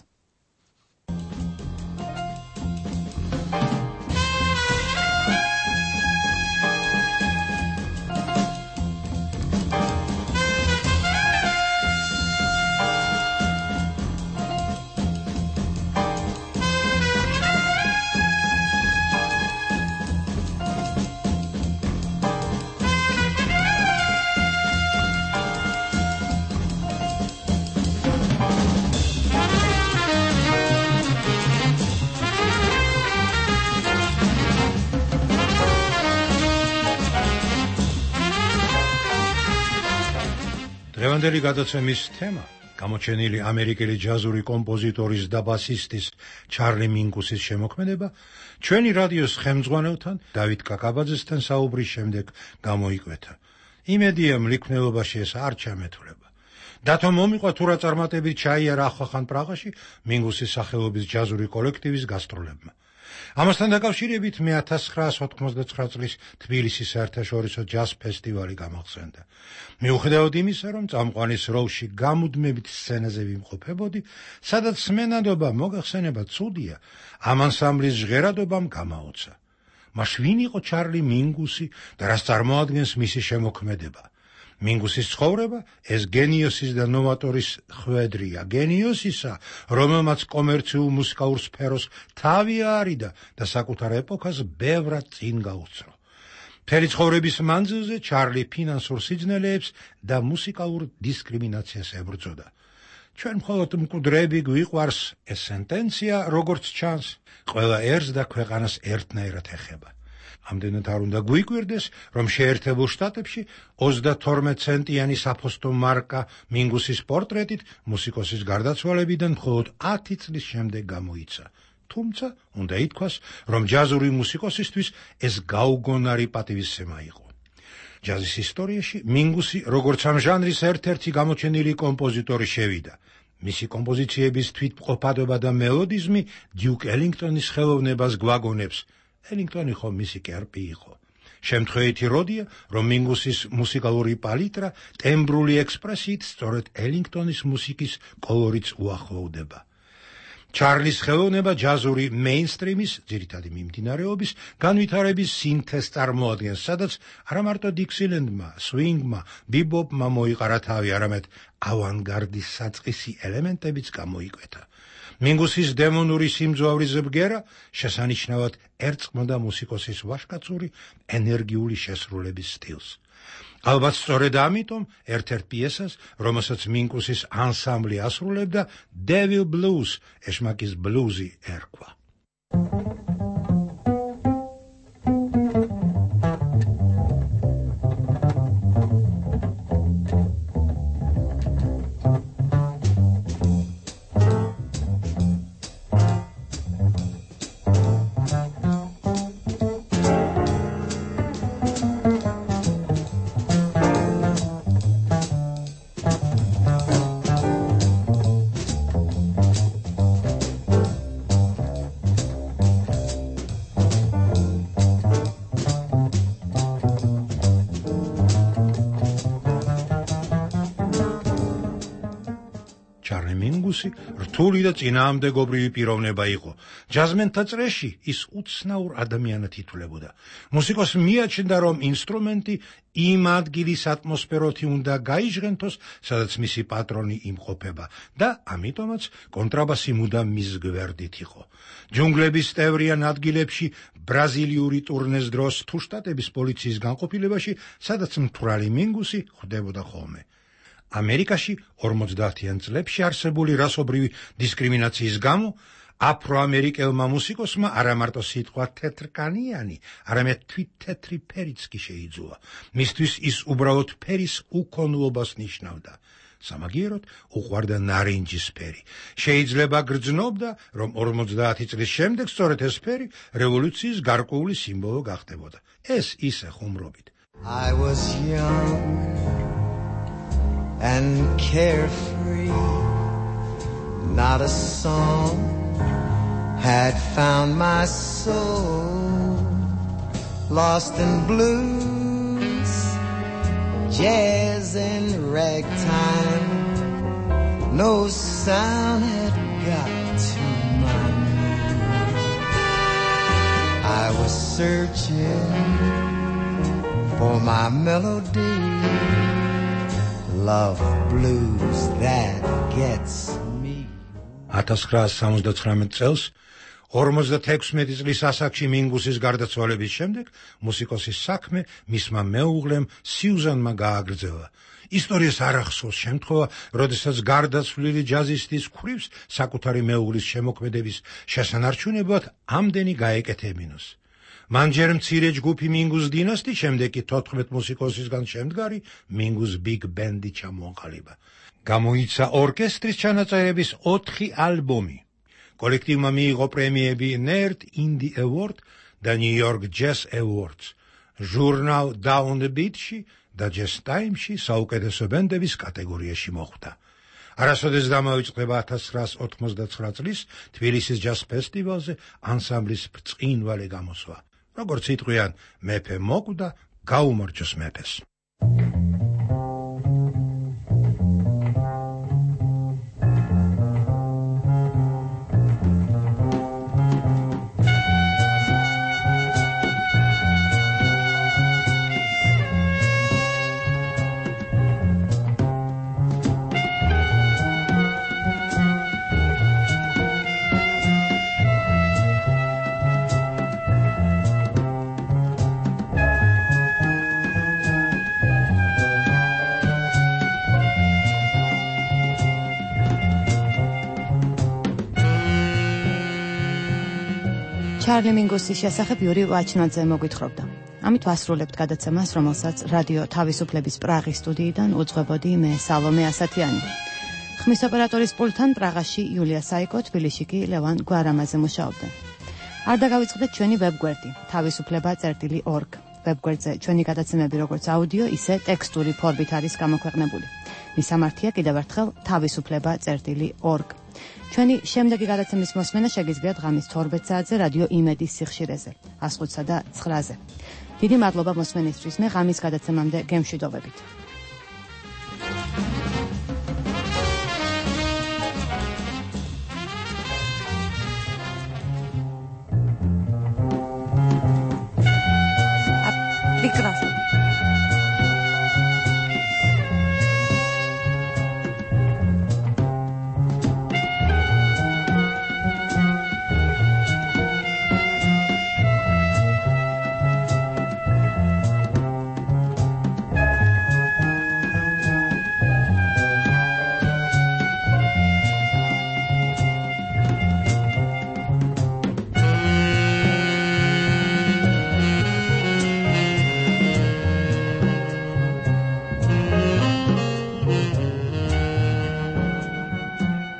დღევანდელი გადაცემის თემა გამოჩენილი ამერიკელი ჯაზური კომპოზიტორის და ბასისტის ჩარლი მინგუსის შემოქმედება ჩვენი რადიოს ხელმძღვანელთან დავით კაკაბაძესთან საუბრის შემდეგ გამოიკვეთა. იმედია მლიქნელობაში ეს არ ჩამეთვლება. დათო მომიყვა თუ რა წარმატებით ჩაიარა ახლახან პრაღაში მინგუსის სახელობის ჯაზური კოლექტივის გასტროლებმა. ამასთან დაკავშირებით მე ათას ცხრაას ოთხმოცდათცხრა წლის თბილისის საერთაშორისო ჯაზ ფესტივალი გამახსენდა. მიუხედავად იმისა, რომ წამყვანის როლში გამუდმებით სცენაზე ვიმყოფებოდი, სადაც სმენადობა მოგახსენება ცუდია, ამ ანსამბლის ჟღერადობამ გამაოცა. მას ვინ იყო ჩარლი მინგუსი და რას წარმოადგენს მისი შემოქმედება? მინგუსის ცხოვრება ეს გენიოსის და ნოვატორის ხვედრია, გენიოსისა, რომელმაც კომერციულ მუსიკალურ სფეროს თავი აარიდა და საკუთარ ეპოქას ბევრად წინ გაუწრო. მთელი ცხოვრების მანძილზე ჩარლი ფინანსურ სიძნელეებს და მუსიკალურ დისკრიმინაციას ებრძოდა. ჩვენ მხოლოდ მკვდრები გვიყვარს ეს სენტენცია, როგორც ჩანს, ყველა ერს და ქვეყანას ერთნაირად ეხება. ამდენად არ უნდა გვიკვირდეს, რომ შეერთებულ შტატებში ოცდათორმეტ ცენტიანი საფოსტო მარკა მინგუსის პორტრეტით მუსიკოსის გარდაცვალებიდან მხოლოდ ათი წლის შემდეგ გამოიცა. თუმცა უნდა ითქვას, რომ ჯაზური მუსიკოსისთვის ეს გაუგონარი პატივისცემა იყო. ჯაზის ისტორიაში მინგუსი როგორც ამ ჟანრის ერთ-ერთი გამოჩენილი კომპოზიტორი შევიდა. მისი კომპოზიციების თვითმყოფადობა და მელოდიზმი დიუკ ელინგტონის ხელოვნებას გვაგონებს. ელინგტონი ხომ მისი კერპი იყო. შემთხვევითი როდია, რომ მინგუსის მუსიკალური პალიტრა ტემბრული ექსპრესიით სწორედ ელინგტონის მუსიკის კოლორიტს უახლოვდება. ჩარლის ხელოვნება ჯაზური მეინსტრიმის, ძირითადი მიმდინარეობის, განვითარების სინთეზს წარმოადგენს, სადაც არა მარტო დიქსილენდმა, სვინგმა, ბიბოპმა მოიყარა თავი, არამედ ავანგარდის საწყისი ელემენტებიც გამოიკვეთა. მინგუსის დემონური სიმძლავრის ბგერა შესანიშნავად ერწყმოდა მუსიკოსის ვაჟკაცური ენერგიული შესრულების სტილს. ალბათ სწორედ ამიტომ ერთ-ერთ პიესას, რომელსაც მინგუსის ანსამბლი ასრულებდა, Devil Blues, ეშმაკის ბლუზი ერქვა. რთული და წინააღმდეგობრივი პიროვნება იყო. ჯაზმენთა წრეში ის უცნაურ ადამიანად ითვლებოდა. მუსიკოსს მიაჩნდა, რომ ინსტრუმენტი იმ ადგილის ატმოსფეროთი უნდა გაიჟღენთოს, სადაც მისი პატრონი იმყოფება და ამიტომაც კონტრაბასი მუდამ მის გვერდით იყო. ჯუნგლების სტევრიან ადგილებში, ბრაზილიური ტურნეს დროს თუ შტატების პოლიციის განყოფილებაში, სადაც მთვრალი მინგუსი ხვდებოდა ხოლმე. ამერიკაში ორმოცდაათიან წლებში არსებული რასობრივი დისკრიმინაციის გამო აფროამერიკელმა მუსიკოსმა არა მარტო სიტყვა თეთრკანიანი, არამედ თვით თეთრი ფერიც კი შეიძულა. მისთვის ის უბრალოდ ფერის უქონლობას ნიშნავდა. სამაგიეროდ უყვარდა ნარინჯის ფერი. შეიძლება გრძნობდა, რომ ორმოცდაათი წლის შემდეგ სწორედ ეს ფერი რევოლუციის გარკვეული სიმბოლო გახდებოდა. ეს ისე ხუმრობით. I was young and carefree, not a song had found my soul, lost in blues, jazz and ragtime, no sound had got to my mood. I was searching for my melody, love blues that gets me. ათას ცხრაასი სამოცდათხრამეტ წელს ორმოცდათექვსმეტი წლის ასაკში მინგუსის გარდაცვალების შემდეგ მუსიკოსის საქმე მისმა მეუღლემ სიუზანმა გააგრძელა. ისტორიას არ ახსოვს შემთხვევა, როდესაც გარდაცვლილი ჯაზისტის ქვრივს საკუთარი მეუღლის შემოქმედების შესანარჩუნებლად ამდენი გაეკეთებინოს. მან ჯერ მცირე ჯგუფი მინგუს დინასტი, შემდეგ კი თოთხმეტ მუსიკოსისგან შემდგარი მინგუს ბიგ ბენდი ჩამოაყალიბა. გამოიცა ორკესტრის ჩანაწერების ოთხი ალბომი. კოლექტივმა მიიღო პრემიები ნერდ ინდი ევორდ და ნიუ-იორკ ჯაზ ევორდს. ჟურნალ Down the Beat-ში და ჯაზ ტაიმში საუკეთესო ბენდების კატეგორიაში მოხვდა. არასოდეს დამოიწყება ათას ცხრაასი ოთხმოცდაცხრა წლის თბილისის ჯაზ ფესტივალზე ანსამბლის ბრწყინვალე გამოსვლა. როგორც იტყვიან, მეფე მოკვდა, გაუმარჯოს მეფეს. ჩარლი მინგუსის შესახებ იური ვაჩნაძე მოგვითხრობდა. ამით ვასრულებთ გადაცემას, რომელსაც რადიო თავისუფლების პრაღის სტუდიიდან უძღვებოდი მე სალომე ასათიანი. ხმის ოპერატორის პულტთან პრაღაში იულია საიკო, თბილისში კი ლევან გვარამაძე მუშაობდნენ. არ დაგავიწყდეთ ჩვენი ვებგვერდი თავისუფლება წერტილი ორგ. ვებგვერდზე ჩვენი გადაცემები როგორც აუდიო, ისე ტექსტური ფორმით არის გამოქვეყნებული. მისამართია კიდევ ერთხელ თავისუფლება წერტილი ორგ. ჩვენი შემდეგი გადაცემის მოსმენა შეგიძლიათ ღამის თორმეტ საათზე რადიო იმედის სიხშირეზე, ას ხუთსა და ცხრაზე. დიდი მადლობა მოსმენისთვის, მე ღამის გადაცემამდე გემშვიდობებით.